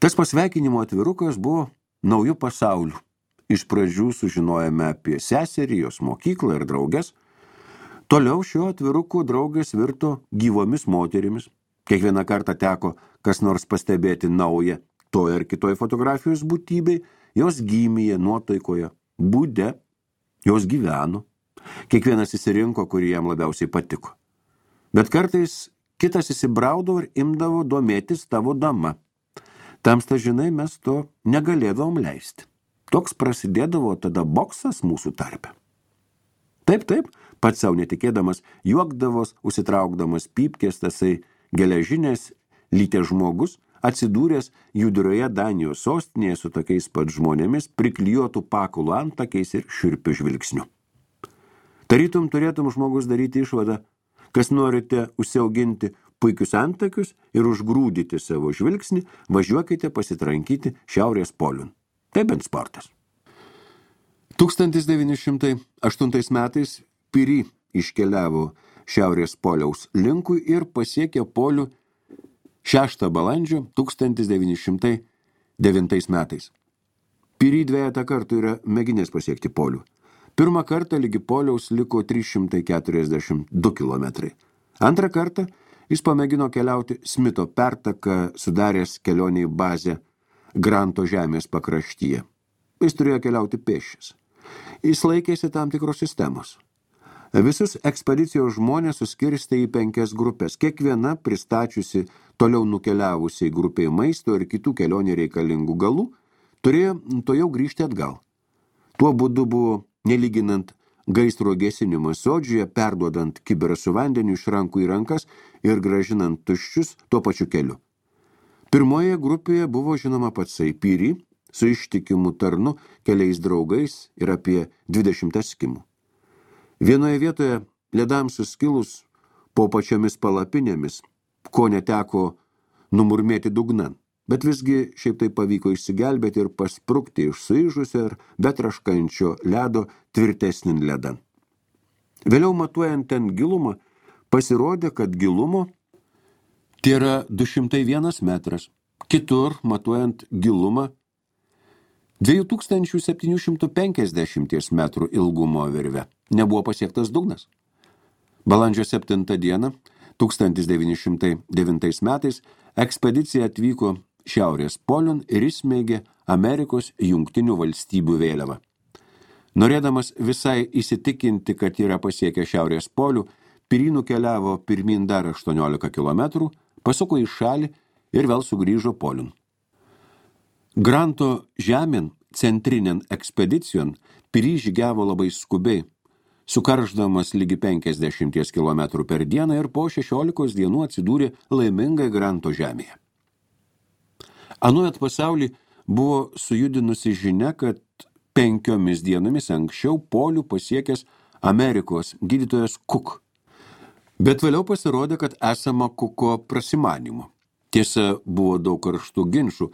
Speaker 1: Tas pasveikinimo atvirukas buvo naujų pasaulių. Iš pradžių sužinojame apie seserį, jos mokyklą ir drauges. Toliau šio atviruko draugės virto gyvomis moterimis. Kiekvieną kartą teko kas nors pastebėti naują toje ar kitoje fotografijos būtybei, jos gimėje, nuotaikoje, būde, jos gyveno. Kiekvienas įsirinko, kurį jam labiausiai patiko. Bet kartais kitas įsibraudavo ir imdavo domėtis tavo dama. Tamsta, žinai, mes to negalėdavom leisti. Toks prasidėdavo tada boksas mūsų tarpe. Taip, pats savo netikėdamas, juokdavos, užsitraukdamas pypkės, tasai geležinės lytės žmogus, atsidūręs judrioje Danijos sostinėje su tokiais pat žmonėmis, priklijuotų pakulų antakiais ir šiurpiu žvilgsniu. Tarytum turėtum žmogus daryti išvadą, kas norite užsiauginti puikius antakius ir užgrūdyti savo žvilgsnį, važiuokite pasitrankyti Šiaurės poliun. Tai bent sportas. 1908 metais Piri iškeliavo Šiaurės poliaus linkui ir pasiekė polių 6 balandžio 1909 metais. Piri 2 kartų yra mėginęs pasiekti polių. Pirmą kartą ligi poliaus liko 342 kilometrai. Antrą kartą jis pamėgino keliauti Smito pertaką, sudaręs kelionę į bazę Granto žemės pakraštyje. Jis turėjo keliauti pėsčias. Jis laikėsi tam tikros sistemos. Visus ekspedicijos žmonės suskirstė į 5 grupės, kiekviena pristačiusi toliau nukeliavusiai grupiai maisto ir kitų kelionė reikalingų galų, turėjo to jau grįžti atgal. Tuo būdu buvo, nelyginant gaisro gesinimas sodžiuje, perduodant kibirą su vandeniu iš rankų į rankas ir gražinant tuščius tuo pačiu keliu. Pirmoje grupėje buvo žinoma patsai Piri, su ištikimu tarnu, keliais draugais ir apie 20 eskimų. Vienoje vietoje ledams suskilus po pačiomis palapinėmis, ko neteko numurmėti dugnan, bet visgi šiaip tai pavyko išsigelbėti ir pasprukti iš suižusio ir betraškančio ledo tvirtesnin ledan. Vėliau matuojant ten gilumą, pasirodė, kad gilumo tai yra 201 metras, kitur matuojant gilumą 2750 metrų ilgumo virve. Nebuvo pasiektas dugnas. Balandžio 7 dieną 1909 metais ekspedicija atvyko Šiaurės poliun ir įsmeigė Amerikos Jungtinių valstybių vėliavą. Norėdamas visai įsitikinti, kad yra pasiekę Šiaurės polių, Piri nukeliavo pirmin dar 18 kilometrų, pasuko į šalį ir vėl sugrįžo poliun. Granto žemėn centrinėn ekspedicijon Piri žygiavo labai skubiai, sukarždamas lygi 50 km per dieną ir po 16 dienų atsidūrė laimingai Granto žemėje. Anuomet pasaulį buvo sujudinusi žinia, kad 5 dienomis anksčiau polių pasiekęs Amerikos gydytojas Cook. Bet vėliau pasirodė, kad esama Cooko prasimanimo. Tiesa, buvo daug karštų ginčų,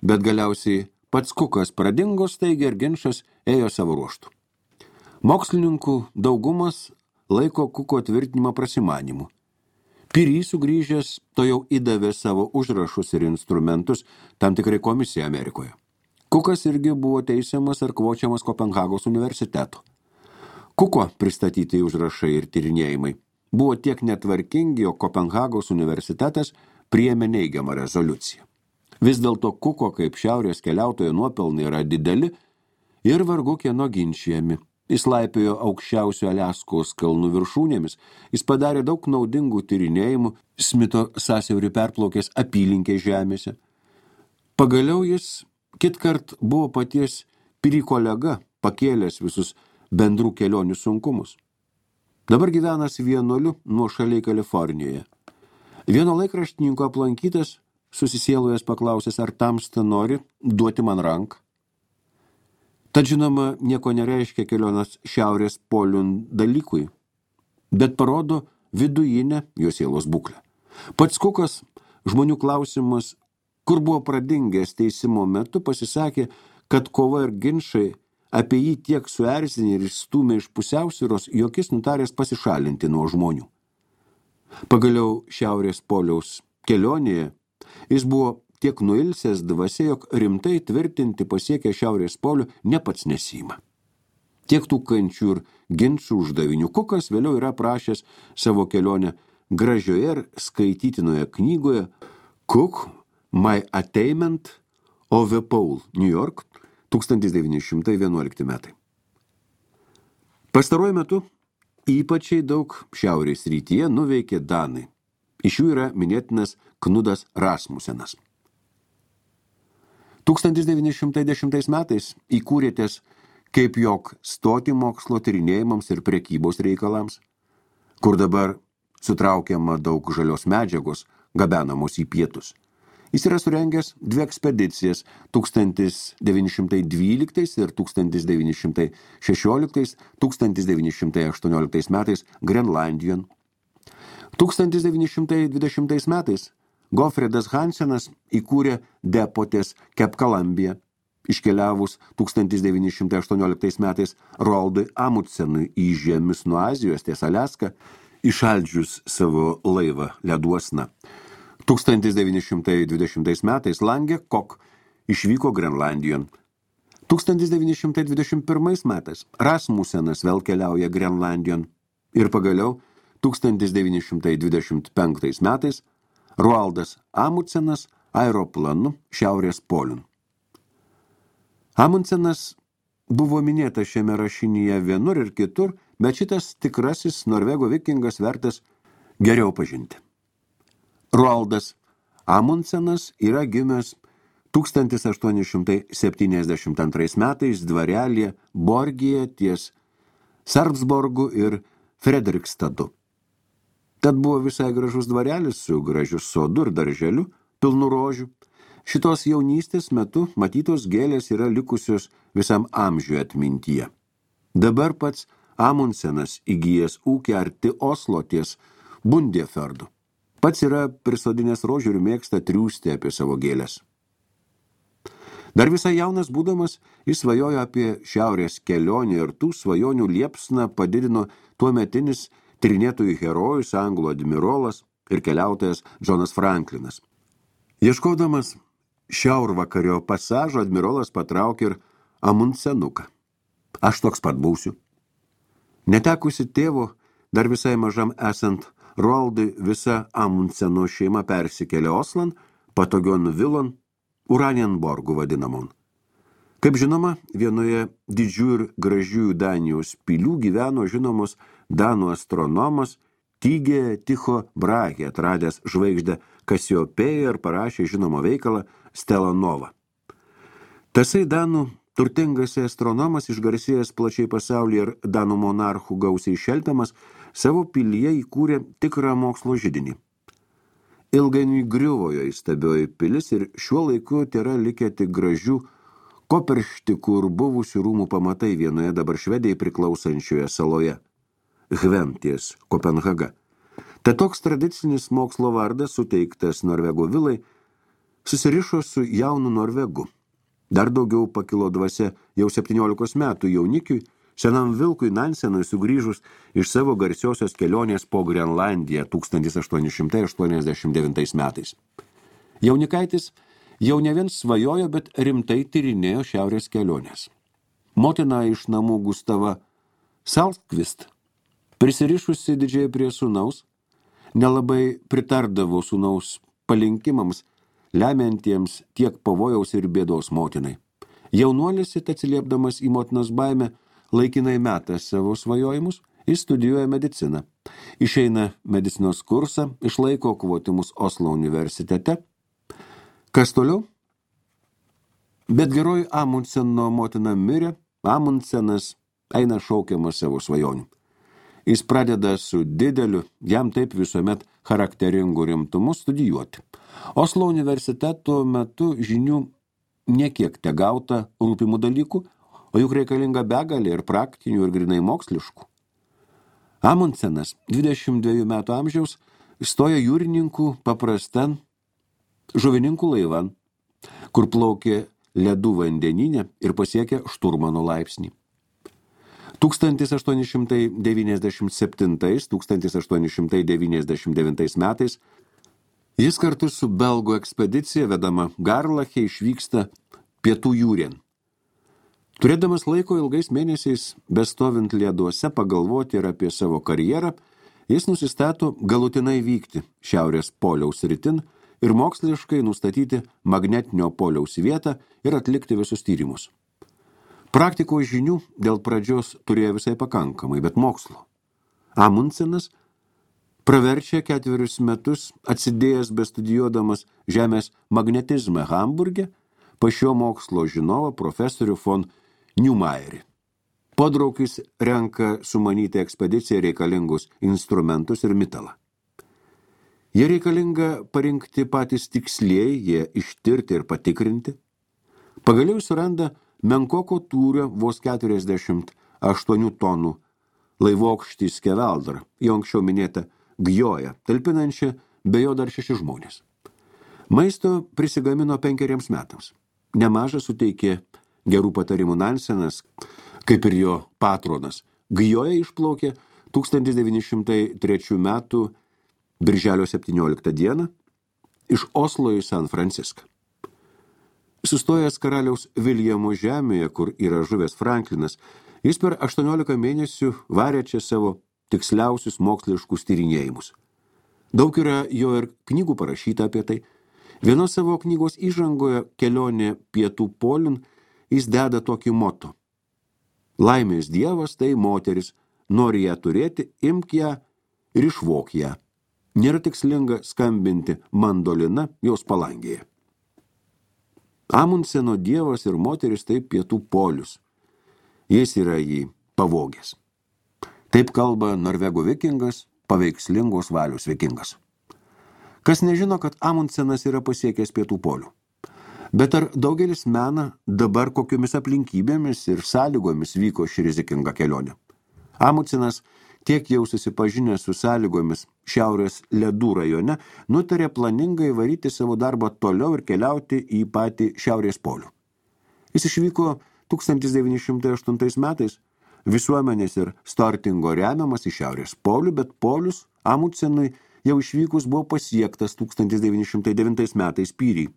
Speaker 1: bet galiausiai pats Cookas pradingo staigiai ir ginčas ėjo savo ruožtu. Mokslininkų daugumas laiko Cooko tvirtinimą prasimanimu. Piri sugrįžęs to jau įdavė savo užrašus ir instrumentus tam tikrai komisijai Amerikoje. Cookas irgi buvo teisiamas ar kvočiamas Kopenhagos universiteto. Cooko pristatyti užrašai ir tyrinėjimai buvo tiek netvarkingi, o Kopenhagos universitetas priėmė neigiamą rezoliuciją. Vis dėlto Kuko kaip šiaurės keliautojo nuopelnai yra dideli ir vargu kieno ginčijami. Jis laipiojo aukščiausio Aliaskos kalnų viršūnėmis, jis padarė daug naudingų tyrinėjimų Smito sąsiaurį perplaukęs apylinkės žemėse. Pagaliau jis kitkart buvo paties Piri kolega, pakėlęs visus bendrų kelionių sunkumus. Dabar gyvenas vienuoliu nuošaliai Kalifornijoje. Vieno laikraštininko aplankytas, susisielojęs paklausęs, ar tamsta nori duoti man ranką. Tad žinoma, nieko nereiškia kelionas šiaurės poliun dalykui, bet parodo vidujinę jo sielos būklę. Pats Kukas žmonių klausimas, kur buvo pradingęs teisimo metu, pasisakė, kad kova ir ginčai apie jį tiek suerzinė ir stūmė iš pusiausvyros, jog jis nutaręs pasišalinti nuo žmonių. Pagaliau šiaurės poliaus kelionėje jis buvo tiek nuilsęs dvasia, jog rimtai tvirtinti pasiekę šiaurės polių ne pats nesima. Tiek tų kančių ir ginčų uždavinių Kukas vėliau yra prašęs savo kelionę gražioje ir skaitytinoje knygoje Cook, My Attainment of the Pole, New York, 1911 metai. Pastaruoju metu ypačiai daug šiaurės rytyje nuveikė danai. Iš jų yra minėtinas Knudas Rasmusenas. 1910 metais įkūrėtės kaip jog stoti mokslo tyrinėjimams ir prekybos reikalams, kur dabar sutraukiama daug žalios medžiagos, gabenamos į pietus. Jis yra surengęs 2 ekspedicijas 1912 ir 1916-1918 metais Grenlandijon. 1920 metais Gofredas Hansenas įkūrė depotės Cape Columbia, iškeliavus 1918 metais Roaldui Amundsenui į žemius nuo Azijos ties Aliaską, išaldžius savo laivą leduosna. 1920 metais Lange Kok išvyko Grenlandijon. 1921 metais Rasmusenas vėl keliauja Grenlandijon ir pagaliau 1925 metais Roaldas Amundsenas aeroplanu šiaurės poliun. Amundsenas buvo minėtas šiame rašinyje vienur ir kitur, bet šitas tikrasis norvego vikingas vertas geriau pažinti. Roaldas Amundsenas yra gimęs 1872 metais dvarelėje Borgyje ties Sarpsborgu ir Fredrikstadu. Tad buvo visai gražus dvarelis su gražiu sodu ir darželiu, pilnu rožių. Šitos jaunystės metu matytos gėlės yra likusios visam amžiui atmintyje. Dabar pats Amundsenas įgijęs ūkį arti Oslo ties Bundefjordu. Pats yra prisodinęs rožių ir mėgsta triūsti apie savo gėlės. Dar visai jaunas būdamas, jis svajojo apie šiaurės kelionę ir tų svajonių liepsną padidino tuometinis tyrinėtojų herojus, anglų admirolas ir keliautojas Džonas Franklinas. Ieškodamas šiaurvakario pasažo, admirolas patraukė ir Amundsenuką. Aš toks pat būsiu. Netekusi tėvo, dar visai mažam esant Roaldui, visa Amundseno šeima persikėlė Oslan, patogion vilon, Uranienborgu vadinamon. Kaip žinoma, vienoje didžių ir gražiųjų Danijos pilių gyveno žinomos danų astronomas Tygė Tycho Brahe, atradęs žvaigždę Kasiopėją ir parašė žinomą veikalą Stella Nova. Tasai danų turtingas astronomas, išgarsėjęs plačiai pasaulyje ir danų monarchų gausiai šelpiamas, savo pilyje įkūrė tikrą mokslo židinį. Ilgainiui griuvo jo įstabioji pilis ir šiuo laiku tėra likę tik gražių koperštikų ir buvusių rūmų pamatai vienoje dabar Švedijai priklausančioje saloje, Hventies, Kopenhaga. Tad toks tradicinis mokslo vardas, suteiktas Norvego vilai, susirišo su jaunu Norvegu. Dar daugiau pakilo dvasia jau 17 metų jaunikiui, senam vilkui Nansenui sugrįžus iš savo garsiosios kelionės po Grenlandiją 1889 metais. Jaunikaitis jau ne vien svajojo, bet rimtai tyrinėjo šiaurės kelionės. Motina iš namų Gustava Saltkvist, prisirišusi didžiai prie sūnaus, nelabai pritardavo sūnaus palinkimams, lemiantiems tiek pavojaus ir bėdos motinai. Jaunuolis, atsiliepdamas į motinos baimę, laikinai meta savo svajojimus, jis studijuoja mediciną. Išeina medicinos kursą, išlaiko kvotimus Oslo universitete. Kas toliau? Bet geroji Amundseno motina mirė, Amundsenas eina šaukiamas savo svajonių. Jis pradeda su dideliu, jam taip visuomet charakteringu rimtumu studijuoti. Oslo universiteto metu žinių niekiek tegauta rūpimų dalykų, o juk reikalinga begalė ir praktinių, ir grinai moksliškų. Amundsenas, 22 metų amžiaus, stoja jūrininkų paprastan žuvininkų laivan, kur plaukė ledų vandenyne ir pasiekė šturmano laipsnį. 1897–1899 metais jis kartu su belgų ekspedicija vedama Garlache išvyksta pietų jūrien. Turėdamas laiko ilgais mėnesiais, bestovint leduose pagalvoti ir apie savo karjerą, jis nusistato galutinai vykti Šiaurės poliaus rytin ir moksliškai nustatyti magnetinio poliaus vietą ir atlikti visus tyrimus. Praktikos žinių dėl pradžios turėjo visai pakankamai, bet mokslo. Amundsenas praverčia 4 metus atsidėjęs bestudijuodamas žemės magnetizmą Hamburge pas šio mokslo žinovą profesorių von Neumayerį. Podraukis renka sumanyti ekspediciją reikalingus instrumentus ir metalą. Jie reikalinga parinkti patys tikslieji, jie ištirti ir patikrinti. Pagaliau suranda menkoko tūrio vos 48 tonų laivokštį Skeveldrą, jau anksčiau minėtą Gjoją, talpinančią be jo dar 6 žmonės. Maisto prisigamino 5 metams. Nemažą suteikė gerų patarimų Nansenas, kaip ir jo patronas. Gjoja išplaukė 1903 metų birželio 17 dieną iš Oslo į San Franciską. Sustojęs karaliaus Viljamo žemėje, kur yra žuvęs Franklinas, jis per 18 mėnesių varė čia savo tiksliausius moksliškus tyrinėjimus. Daug yra jo ir knygų parašyta apie tai. Vienos savo knygos įžangoje Kelionė pietų poliun jis deda tokį moto. Laimės dievas tai moteris, nori ją turėti, imk ją ir išvok ją. Nėra tikslinga skambinti mandolina jos palangėje. Amundseno dievas ir moteris tai pietų polius. Jis yra jį pavogęs. Taip kalba norvegų vikingas, paveikslingos valios vikingas. Kas nežino, kad Amundsenas yra pasiekęs pietų polių. Bet ar daugelis mena dabar kokiomis aplinkybėmis ir sąlygomis vyko ši rizikinga kelionė? Amundsenas tiek jau susipažinęs su sąlygomis šiaurės ledų rajone, nutarė planingai varyti savo darbą toliau ir keliauti į patį šiaurės polių. Jis išvyko 1908 metais visuomenės ir Stortingo remiamas į šiaurės polių, bet polius Amundsenui jau išvykus buvo pasiektas 1909 metais Pyry.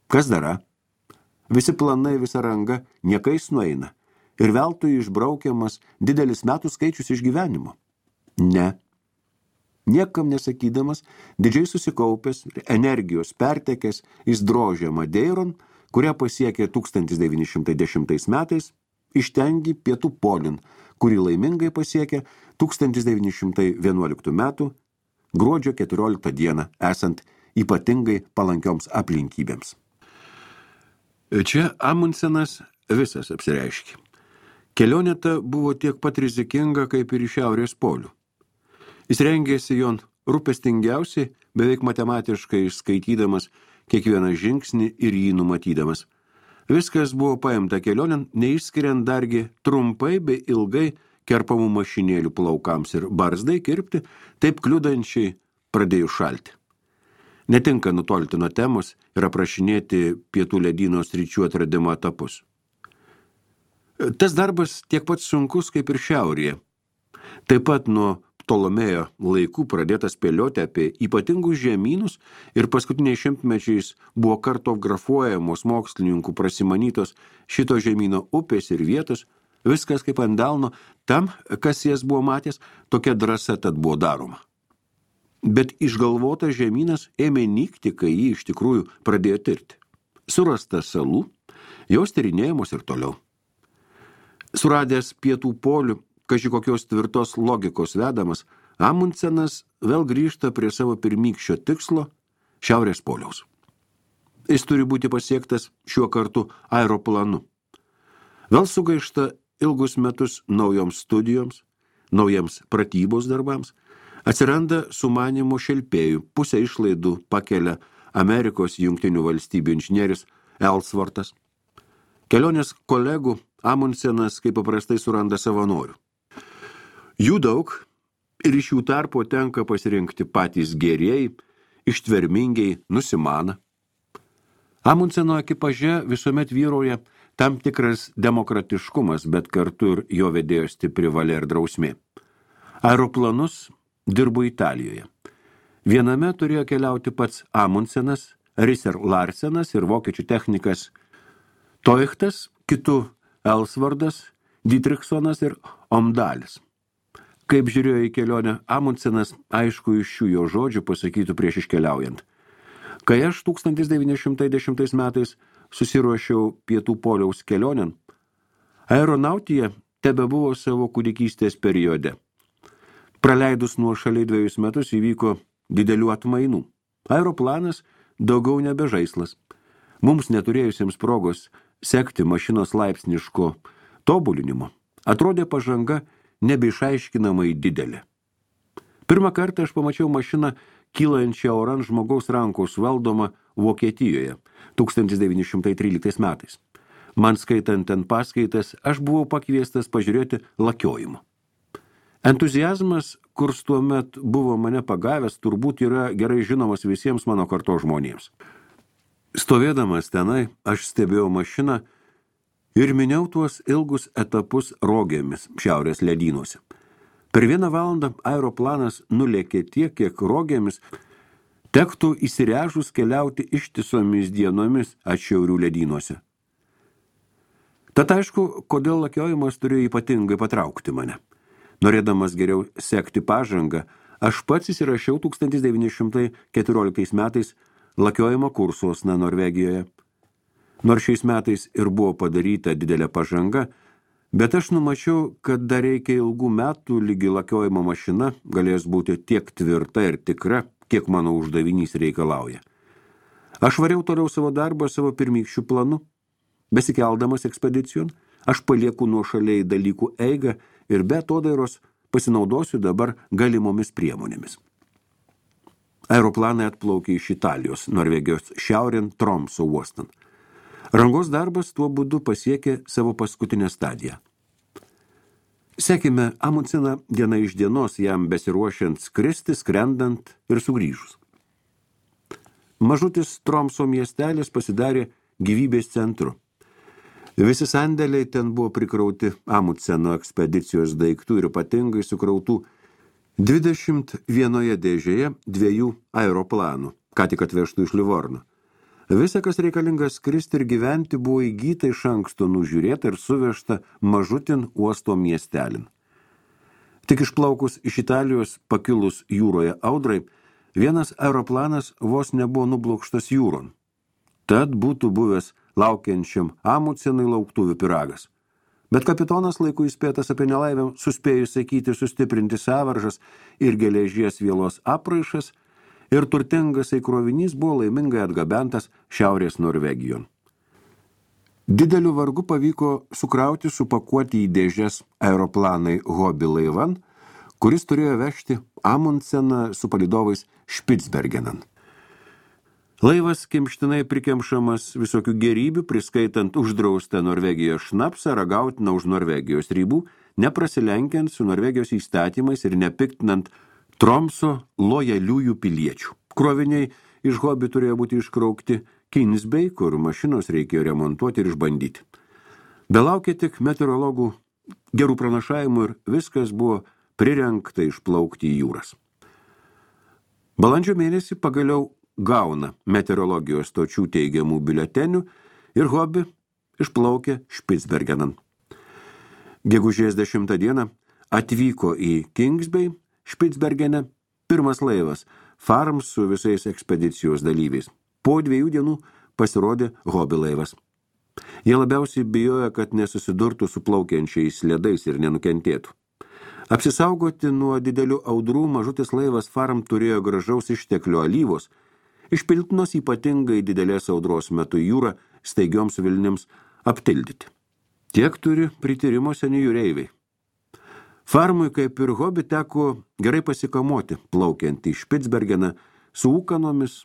Speaker 1: Kas dara? Visi planai, visa ranga niekais nueina ir veltui išbraukiamas didelis metų skaičius iš gyvenimo. Ne. Niekam nesakydamas, didžiai susikaupęs, energijos pertekęs, jis drožė Madeiron, kurią pasiekė 1910 metais, ištengi pietų polin, kurį laimingai pasiekė 1911 metų gruodžio 14 dieną, esant ypatingai palankioms aplinkybėms. Čia Amundsenas visas apsireiškė. Kelionė ta buvo tiek pat rizikinga, kaip ir į šiaurės polių. Jis rengėsi jon rūpestingiausiai, beveik matematiškai skaitydamas kiekvieną žingsnį ir jį numatydamas. Viskas buvo paimta kelionėn, neišskiriant dargi trumpai bei ilgai kerpamų mašinėlių plaukams ir barzdai kirpti, taip kliudančiai pradėjo šalti. Netinka nutolti nuo temos ir aprašinėti pietų ledyno sričių atradimo etapus. Tas darbas tiek pat sunkus kaip ir šiaurėje. Taip pat nuo Ptolomėjo laikų pradėtas spėlioti apie ypatingus žemynus ir paskutiniais šimtmečiais buvo kartografuojamos mokslininkų prasimanytos šito žemyno upės ir vietos, viskas kaip ant delno, tam, kas jas buvo matęs, tokia drąsa tad buvo daroma. Bet išgalvotas žemynas ėmė nykti, kai jį iš tikrųjų pradėjo tirti. Surasta salų, jos tyrinėjamos ir toliau. Suradęs pietų polių, kaži kokios tvirtos logikos vedamas, Amundsenas vėl grįžta prie savo pirmykščio tikslo – Šiaurės poliaus. Jis turi būti pasiektas šiuo kartu aeroplanu. Vėl sugaišta ilgus metus naujoms studijoms, naujiems pratybos darbams, atsiranda sumanymų šelpėjų, pusę išlaidų pakelia Amerikos Jungtinių valstybių inžinierius Ellsworthas. Kelionės kolegų Amundsenas kaip paprastai suranda savanorių. Jų daug ir iš jų tarpo tenka pasirinkti patys gerieji, ištvermingiai, nusimana. Amundseno ekipaže visuomet vyrauja tam tikras demokratiškumas, bet kartu ir jo vedėjo stipri valia ir drausmė. Aeroplanus dirbo Italijoje. Viename turėjo keliauti pats Amundsenas, Risser Larsenas ir vokiečių technikas Toichtas, kitu Ellsworthas, Dietrichsonas ir Omdalis. Kaip žiūrėjo į kelionę Amundsenas, aišku iš šių jo žodžių pasakytų prieš iškeliaujant. Kai aš 1910 metais susiruošiau pietų poliaus kelionėn, aeronautija tebebuvo savo kūdikystės periode. Praleidus nuošaliai 2 metus įvyko didelių atmainų. Aeroplanas daugiau nebe žaislas. Mums neturėjusiems progos sekti mašinos laipsniško tobulinimo, atrodė pažanga nebeišaiškinamai didelė. Pirmą kartą aš pamačiau mašiną kylančią oran žmogaus rankos valdomą Vokietijoje 1913 metais. Man skaitant ten paskaitas, aš buvau pakviestas pažiūrėti lakiojimo. Entuziazmas, kurs tuomet buvo mane pagavęs, turbūt yra gerai žinomas visiems mano kartos žmonėms. Stovėdamas tenai, aš stebėjau mašiną ir minėjau tuos ilgus etapus rogėmis Šiaurės ledynuose. Per 1 valandą aeroplanas nulėkė tiek, kiek rogėmis tektų įsirežus keliauti ištisomis dienomis atšiaurių ledynuose. Tad aišku, kodėl lakiojimas turėjo ypatingai patraukti mane. Norėdamas geriau sekti pažangą, aš pats įsirašiau 1914 metais lakiojimo kursuosna Norvegijoje. Nors šiais metais ir buvo padaryta didelė pažanga, bet aš numačiau, kad dar reikia ilgų metų lygi lakiojimo mašina galės būti tiek tvirta ir tikra, kiek mano uždavinys reikalauja. Aš variau toliau savo darbą savo pirmykščių planu. Besikeldamas ekspedicijon, aš palieku nuošaliai dalykų eigą ir be atodairos pasinaudosiu dabar galimomis priemonėmis. Aeroplanai atplaukė iš Italijos, Norvegijos šiaurėn Tromso uostan. Rangos darbas tuo būdu pasiekė savo paskutinę stadiją. Sekime Amundseną diena iš dienos jam besiruošiant skristi, skrendant ir sugrįžus. Mažutis Tromso miestelis pasidarė gyvybės centru. Visi sandėliai ten buvo prikrauti Amundseno ekspedicijos daiktų ir ypatingai sukrautų 21 dėžėje 2 aeroplanų, ką tik atvežtų iš Livorno. Visa, kas reikalingas skristi ir gyventi, buvo įgyta iš anksto nužiūrėta ir suvežta mažutin uosto miestelin. Tik išplaukus iš Italijos pakilus jūroje audrai, vienas aeroplanas vos nebuvo nublokštas jūron. Tad būtų buvęs laukiančiam Amundsenui lauktuvių pyragas. Bet kapitonas laiku įspėtas apie nelaimę suspėjo sakyti sustiprinti sąvaržas ir geležies vielos apraišas, ir turtingas krovinys buvo laimingai atgabentas Šiaurės Norvegijon. Dideliu vargu pavyko sukrauti, supakuoti į dėžes aeroplanai Hobby laivan, kuris turėjo vežti Amundseną su palydovais Špicbergenan. Laivas kimštinai prikemšamas visokių gerybių, priskaitant uždraustą Norvegijos šnapsą, ragautiną už Norvegijos ribų, neprasilenkiant su Norvegijos įstatymais ir nepiktinant Tromso lojaliųjų piliečių. Kroviniai iš Hobby turėjo būti iškraukti Kinsbei, kur mašinos reikėjo remontuoti ir išbandyti. Belaukė tik meteorologų gerų pranašavimų ir viskas buvo prirengta išplaukti į jūras. Balandžio mėnesį pagaliau gauna meteorologijos stočių teigiamų biuletenių ir Hobby išplaukė Špicbergenan. Gegužės 10 dieną atvyko į Kingsbei Špicbergene Pirmas laivas Farm su visais ekspedicijos dalyviais. Po 2 dienų pasirodė Hobby laivas. Jie labiausiai bijojo, kad nesusidurtų su plaukiančiais ledais ir nenukentėtų. Apsisaugoti nuo didelių audrų mažutis laivas Farm turėjo gražaus išteklio alyvos, išpiltinos ypatingai didelės audros metu jūrą staigioms vilnims aptildyti. Tiek turi prityrimo seni jūreiviai. Farmui, kaip ir Hobby, teko gerai pasikamoti, plaukiant į Špicbergeną su ūkanomis,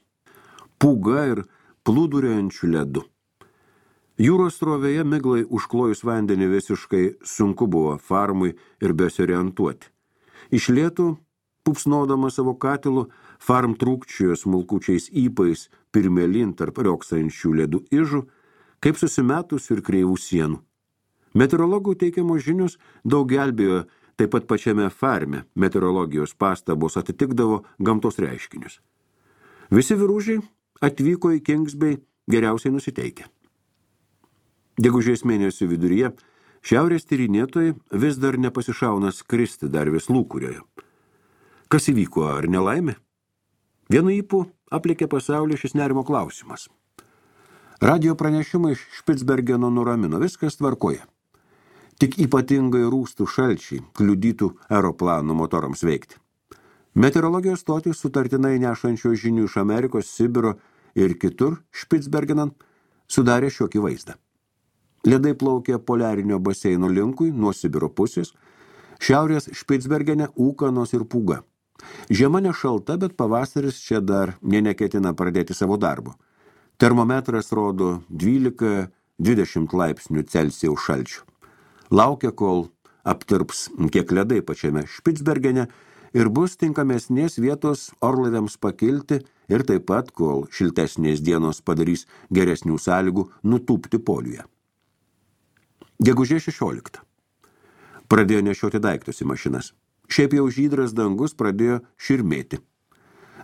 Speaker 1: pūga ir plūduriuojančiu ledu. Jūros srovėje miglai užklojus vandenį visiškai sunku buvo Farmui ir besiorientuoti. Iš lėtų, pupsnodama savo katilų, Farm trūkčiojo smulkučiais įpais pirmėlin tarp rioksančių ledų ižų, kaip susimetusių ir kreivų sienų. Meteorologų teikiamos žinios daug gelbėjo, taip pat pačiame Farme meteorologijos pastabos atitikdavo gamtos reiškinius. Visi vyružiai atvyko į Kings Bay geriausiai nusiteikę. Gegužės mėnesio viduryje šiaurės tyrinėtojai vis dar nepasišauna skristi dar vis lūkurioje. Kas įvyko, ar nelaimė? Vienu ypu aplėkė pasaulį šis nerimo klausimas. Radio pranešimai iš Špicbergeno nuramino, viskas tvarkoje. Tik ypatingai rūstų šalčiai kliudytų aeroplanų motorams veikti. Meteorologijos stotys sutartinai nešančios žinių iš Amerikos, Sibiro ir kitur Špicbergenan sudarė šiokį vaizdą. Ledai plaukė poliarinio baseino linkui nuo Sibiro pusės, šiaurės Špicbergene ūkanos ir pūga. Žiema nešalta, bet pavasaris čia dar neketina pradėti savo darbo. Termometras rodo 12-20 laipsnių Celsijaus šalčių. Laukia, kol aptirps kiek ledai pačiame Špicbergene ir bus tinkamesnės vietos orlaiviams pakilti ir taip pat, kol šiltesnės dienos padarys geresnių sąlygų nutūpti poliuje. Gegužės 16. Pradėjo nešioti daiktus į mašinas. Šiaip jau žydras dangus pradėjo širmėti.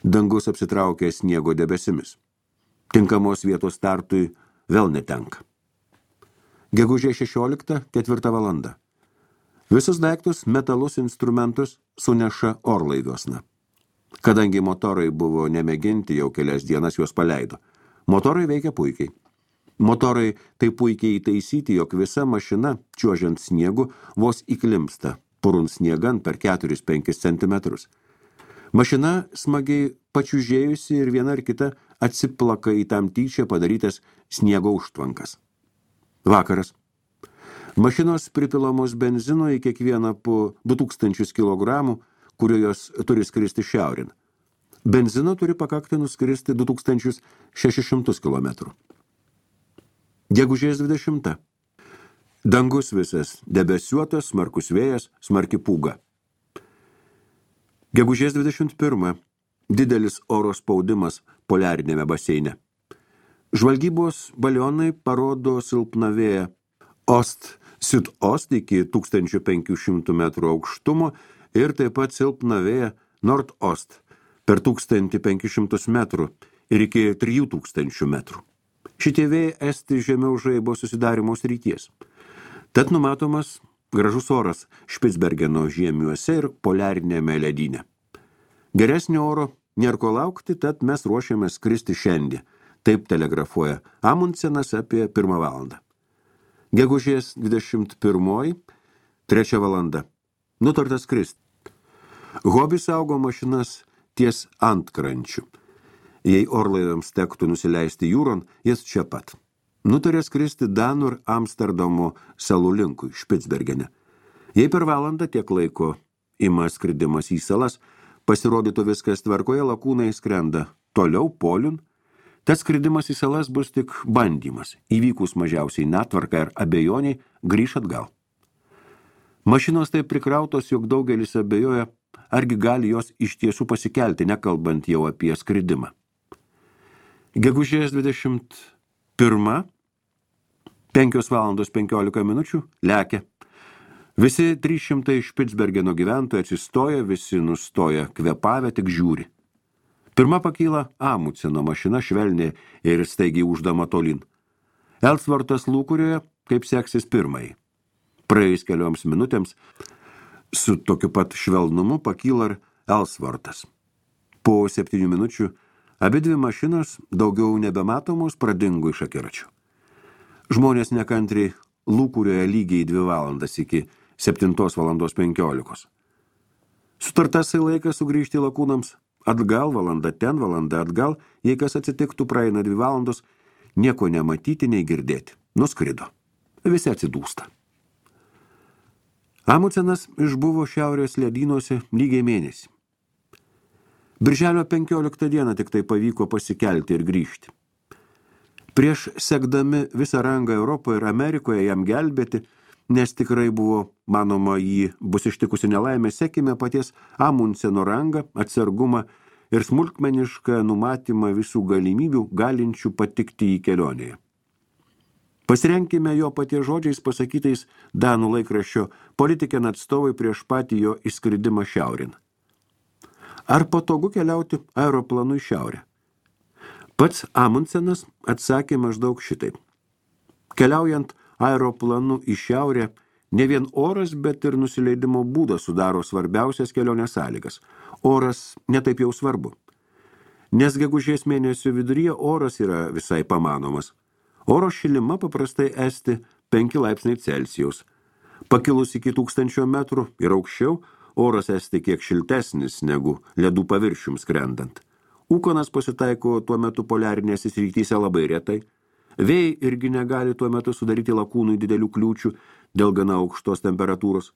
Speaker 1: Dangus apsitraukė sniego debesimis. Tinkamos vietos startui vėl netenka. Gegužės 16, 4 valanda. Visus daiktus, metalus, instrumentus suneša orlaiviuosna. Kadangi motorai buvo nemėginti, jau kelias dienas juos paleido. Motorai veikia puikiai. Motorai taip puikiai įtaisyti, jog visa mašina, čiuožiant sniegu, vos įklimpsta, purun sniegan per 4-5 centimetrus. Mašina smagiai pačiužėjusi ir viena ar kita atsiplaka į tam tyčia padarytas sniego užtvankas. Vakaras. Mašinos pripilamos benzino į kiekvieną po 2000 kg, kurio jos turi skristi šiaurin. Benzino turi pakakti nuskristi 2600 km. Gegužės 20. Dangus visas debesiuotas, smarkus vėjas, smarki pūga. Gegužės 21. Didelis oro spaudimas poliarinėme baseine. Žvalgybos balionai parodo silpną vėją Ost-Südost iki 1500 metrų aukštumo ir taip pat silpną vėją Nord-Ost per 1500 metrų ir iki 3000 metrų. Šitie vėjai esti žemiau žaibo susidarimo srities. Tad numatomas gražus oras Špicbergeno žiemiuose ir poliarinėme ledyne. Geresnio oro nėra ko laukti, tad mes ruošiame skristi šiandien. Taip telegrafuoja Amundsenas apie 1 valandą. Gegužės 21, 3 valanda. Nutarta skristi. Hobby saugo mašinas ties antkrančių. Jei orlaiviams tektų nusileisti jūron, jis čia pat. Nutarė skristi Danų ir Amsterdamo salų linkui Špicbergene. Jei per valandą tiek laiko ima skridimas į salas, pasirodytų viskas tvarkoje, lakūnai skrenda toliau poliun. Tas skridimas į salas bus tik bandymas, įvykus mažiausiai netvarka ir abejoniai grįš atgal. Mašinos taip prikrautos, jog daugelis abejoja, argi gali jos iš tiesų pasikelti, nekalbant jau apie skridimą. Gegužės 21, 5 valandos 15 minučių, lekia. Visi 300 Špicbergeno gyventojai atsistoja, visi nustoja kvėpavę, tik žiūri. Pirma pakyla Amundseno mašina švelniai ir staigiai uždama tolin. Ellsworthas lūkurioje, kaip seksis pirmai. Praėjus kelioms minutėms su tokiu pat švelnumu pakyla ir Ellsworthas. Po 7 minučių abi dvi mašinos, daugiau nebematomos, pradingo iš akiračių. Žmonės nekantriai lūkurioje lygiai 2 valandas iki 7:15. Sutartasai laikas sugrįžti lakūnams, atgal valanda ten, valanda atgal, jei kas atsitiktų, praeina 2 valandos, nieko nematyti, nei girdėti. Nuskrido. Visi atsidūsta. Amundsenas išbuvo šiaurės ledynuose lygiai mėnesį. Birželio 15 dieną tik tai pavyko pasikelti ir grįžti. Prieš sekdami visą rangą Europoje ir Amerikoje jam gelbėti, nes tikrai buvo manoma jį bus ištikusi nelaimė, sekime paties Amundseno rangą, atsargumą ir smulkmenišką numatymą visų galimybių galinčių patikti į kelionėje. Pasirenkime jo paties žodžiais pasakytais Danų laikraščio Politiken atstovai prieš patį jo įskridimą šiaurin. Ar patogu keliauti aeroplanu į šiaurę? Pats Amundsenas atsakė maždaug šitaip. Keliaujant aeroplanu į šiaurę, ne vien oras, bet ir nusileidimo būdas sudaro svarbiausias kelionės sąlygas. Oras netaip jau svarbu. Nes gegužės mėnesio viduryje oras yra visai pamanomas. Oro šilima paprastai esti 5 laipsniai Celsijaus. Pakilus iki 1000 metrų ir aukščiau, oras esti kiek šiltesnis negu ledų paviršium skrendant. Ūkonas pasitaiko tuo metu poliarinėse srityse labai retai. Vėjai irgi negali tuo metu sudaryti lakūnui didelių kliūčių dėl gana aukštos temperatūros.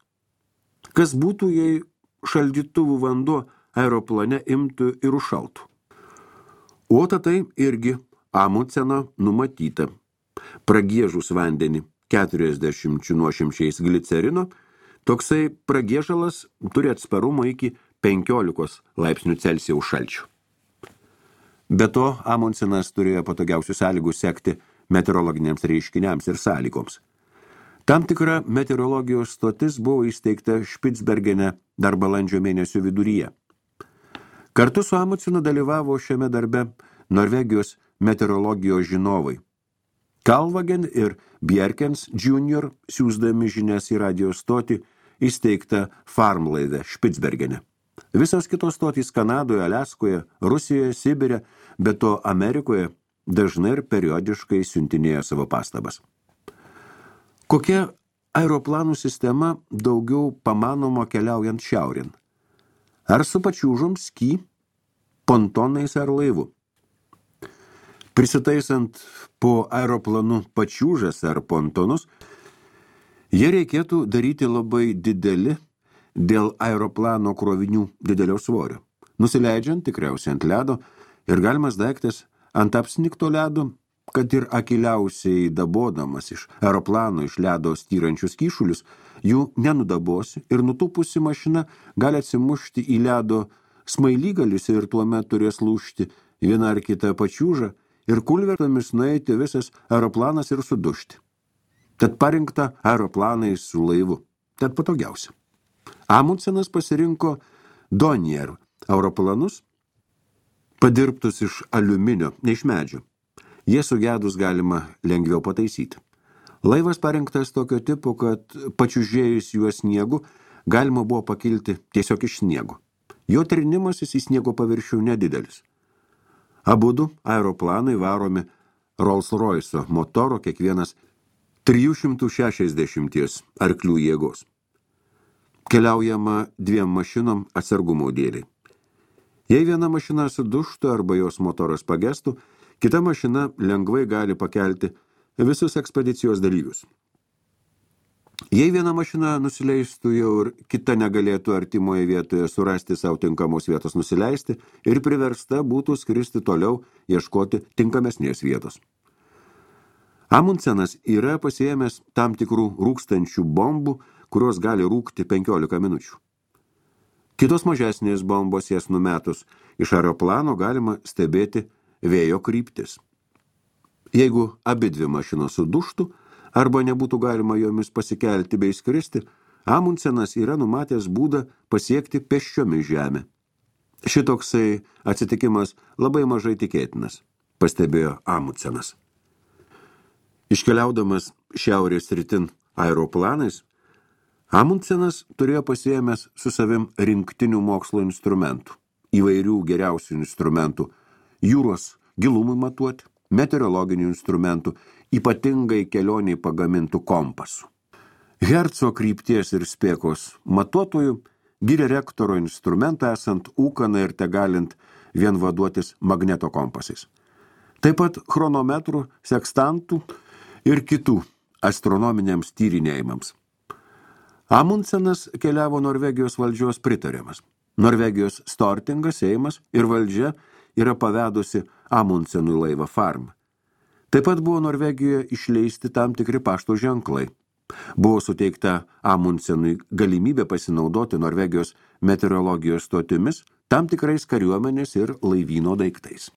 Speaker 1: Kas būtų, jei šaldytuvų vanduo aeroplane imtų ir užšaltų? O tai irgi Amundseno numatyta. Pragiežus vandenį 40 nuošimčiais glicerino, toksai pragiežalas turi atsparumą iki 15 laipsnių Celsijaus šalčių. Be to, Amundsenas turėjo patogiausių sąlygų sekti meteorologiniams reiškiniams ir sąlygoms. Tam tikra meteorologijos stotis buvo įsteigta Špicbergene dar balandžio mėnesio viduryje. Kartu su Amundsenu dalyvavo šiame darbe Norvegijos meteorologijos žinovai. Kalvagen ir Bjerkens Jr. siųsdami žinias į radio stotį įsteigta Farmlaive Špicbergene. Visos kitos stotys Kanadoje, Aliaskoje, Rusijoje, Sibire, bet to Amerikoje dažnai ir periodiškai siuntinėjo savo pastabas. Kokia aeroplanų sistema daugiau pamanoma keliaujant šiaurin? Ar su pačiūžom, ski, pontonais ar laivu? Prisitaisant po aeroplanu pačiūžas ar pontonus, jie reikėtų daryti labai dideli dėl aeroplano krovinių didelio svorio. Nusileidžiant tikriausiai ant ledo ir galimas daiktas ant apsnigto ledo, kad ir akiliausiai dabodamas iš aeroplano iš ledo styrančius kyšulius, jų nenudabosi ir nutūpusi mašina gali atsimušti į ledo smailygalius ir tuomet turės lūžti vieną ar kitą pačiūžą ir kulvertomis nueiti visas aeroplanas ir sudužti. Tad parinkta aeroplanai su laivu. Tad patogiausia. Amundsenas pasirinko Dornier aeroplanus, padirbtus iš aliuminio, ne iš medžio. Jie sugedus galima lengviau pataisyti. Laivas parinktas tokio tipo, kad pačiužėjus juos sniegu galima buvo pakilti tiesiog iš sniego. Jo trinimasis į sniego paviršių nedidelis. Abudu aeroplanai varomi Rolls-Royce motoro, kiekvienas 360 arklių jėgos. Keliaujama 2 mašinom atsargumo dėliai. Jei viena mašina sudužtų arba jos motoras pagestų, kita mašina lengvai gali pakelti visus ekspedicijos dalyvius. Jei viena mašina nusileistų jau ir kita negalėtų artimoje vietoje surasti savo tinkamos vietos nusileisti ir priversta būtų skristi toliau ieškoti tinkamesnės vietos. Amundsenas yra pasiėmęs tam tikrų rūkstančių bombų, kurios gali rūkti 15 minučių. Kitos mažesnės bombos jas numetus iš aeroplano galima stebėti vėjo kryptis. Jeigu abi dvi mašinos sudužtų, arba nebūtų galima jomis pasikelti bei skristi, Amundsenas yra numatęs būdą pasiekti pėsčiomis žemę. Šitoksai atsitikimas labai mažai tikėtinas, pastebėjo Amundsenas. Iškeliaudamas šiaurės rytin aeroplanais, Amundsenas turėjo pasiėmęs su savim rinktinių mokslo instrumentų įvairių geriausių instrumentų, jūros gilumui matuoti, meteorologinių instrumentų, ypatingai kelioniai pagamintų kompasų. Herco krypties ir spėkos matuotojų gyrė rektoro instrumentą esant ūkaną ir tegalint vien vaduotis magneto kompasais. Taip pat chronometrų, sekstantų ir kitų astronominiams tyrinėjimams. Amundsenas keliavo Norvegijos valdžios pritariamas. Norvegijos Stortingas, Seimas ir valdžia yra pavedusi Amundsenui laivą Farm. Taip pat buvo Norvegijoje išleisti tam tikri pašto ženklai. Buvo suteikta Amundsenui galimybė pasinaudoti Norvegijos meteorologijos stotimis tam tikrais kariuomenės ir laivyno daiktais.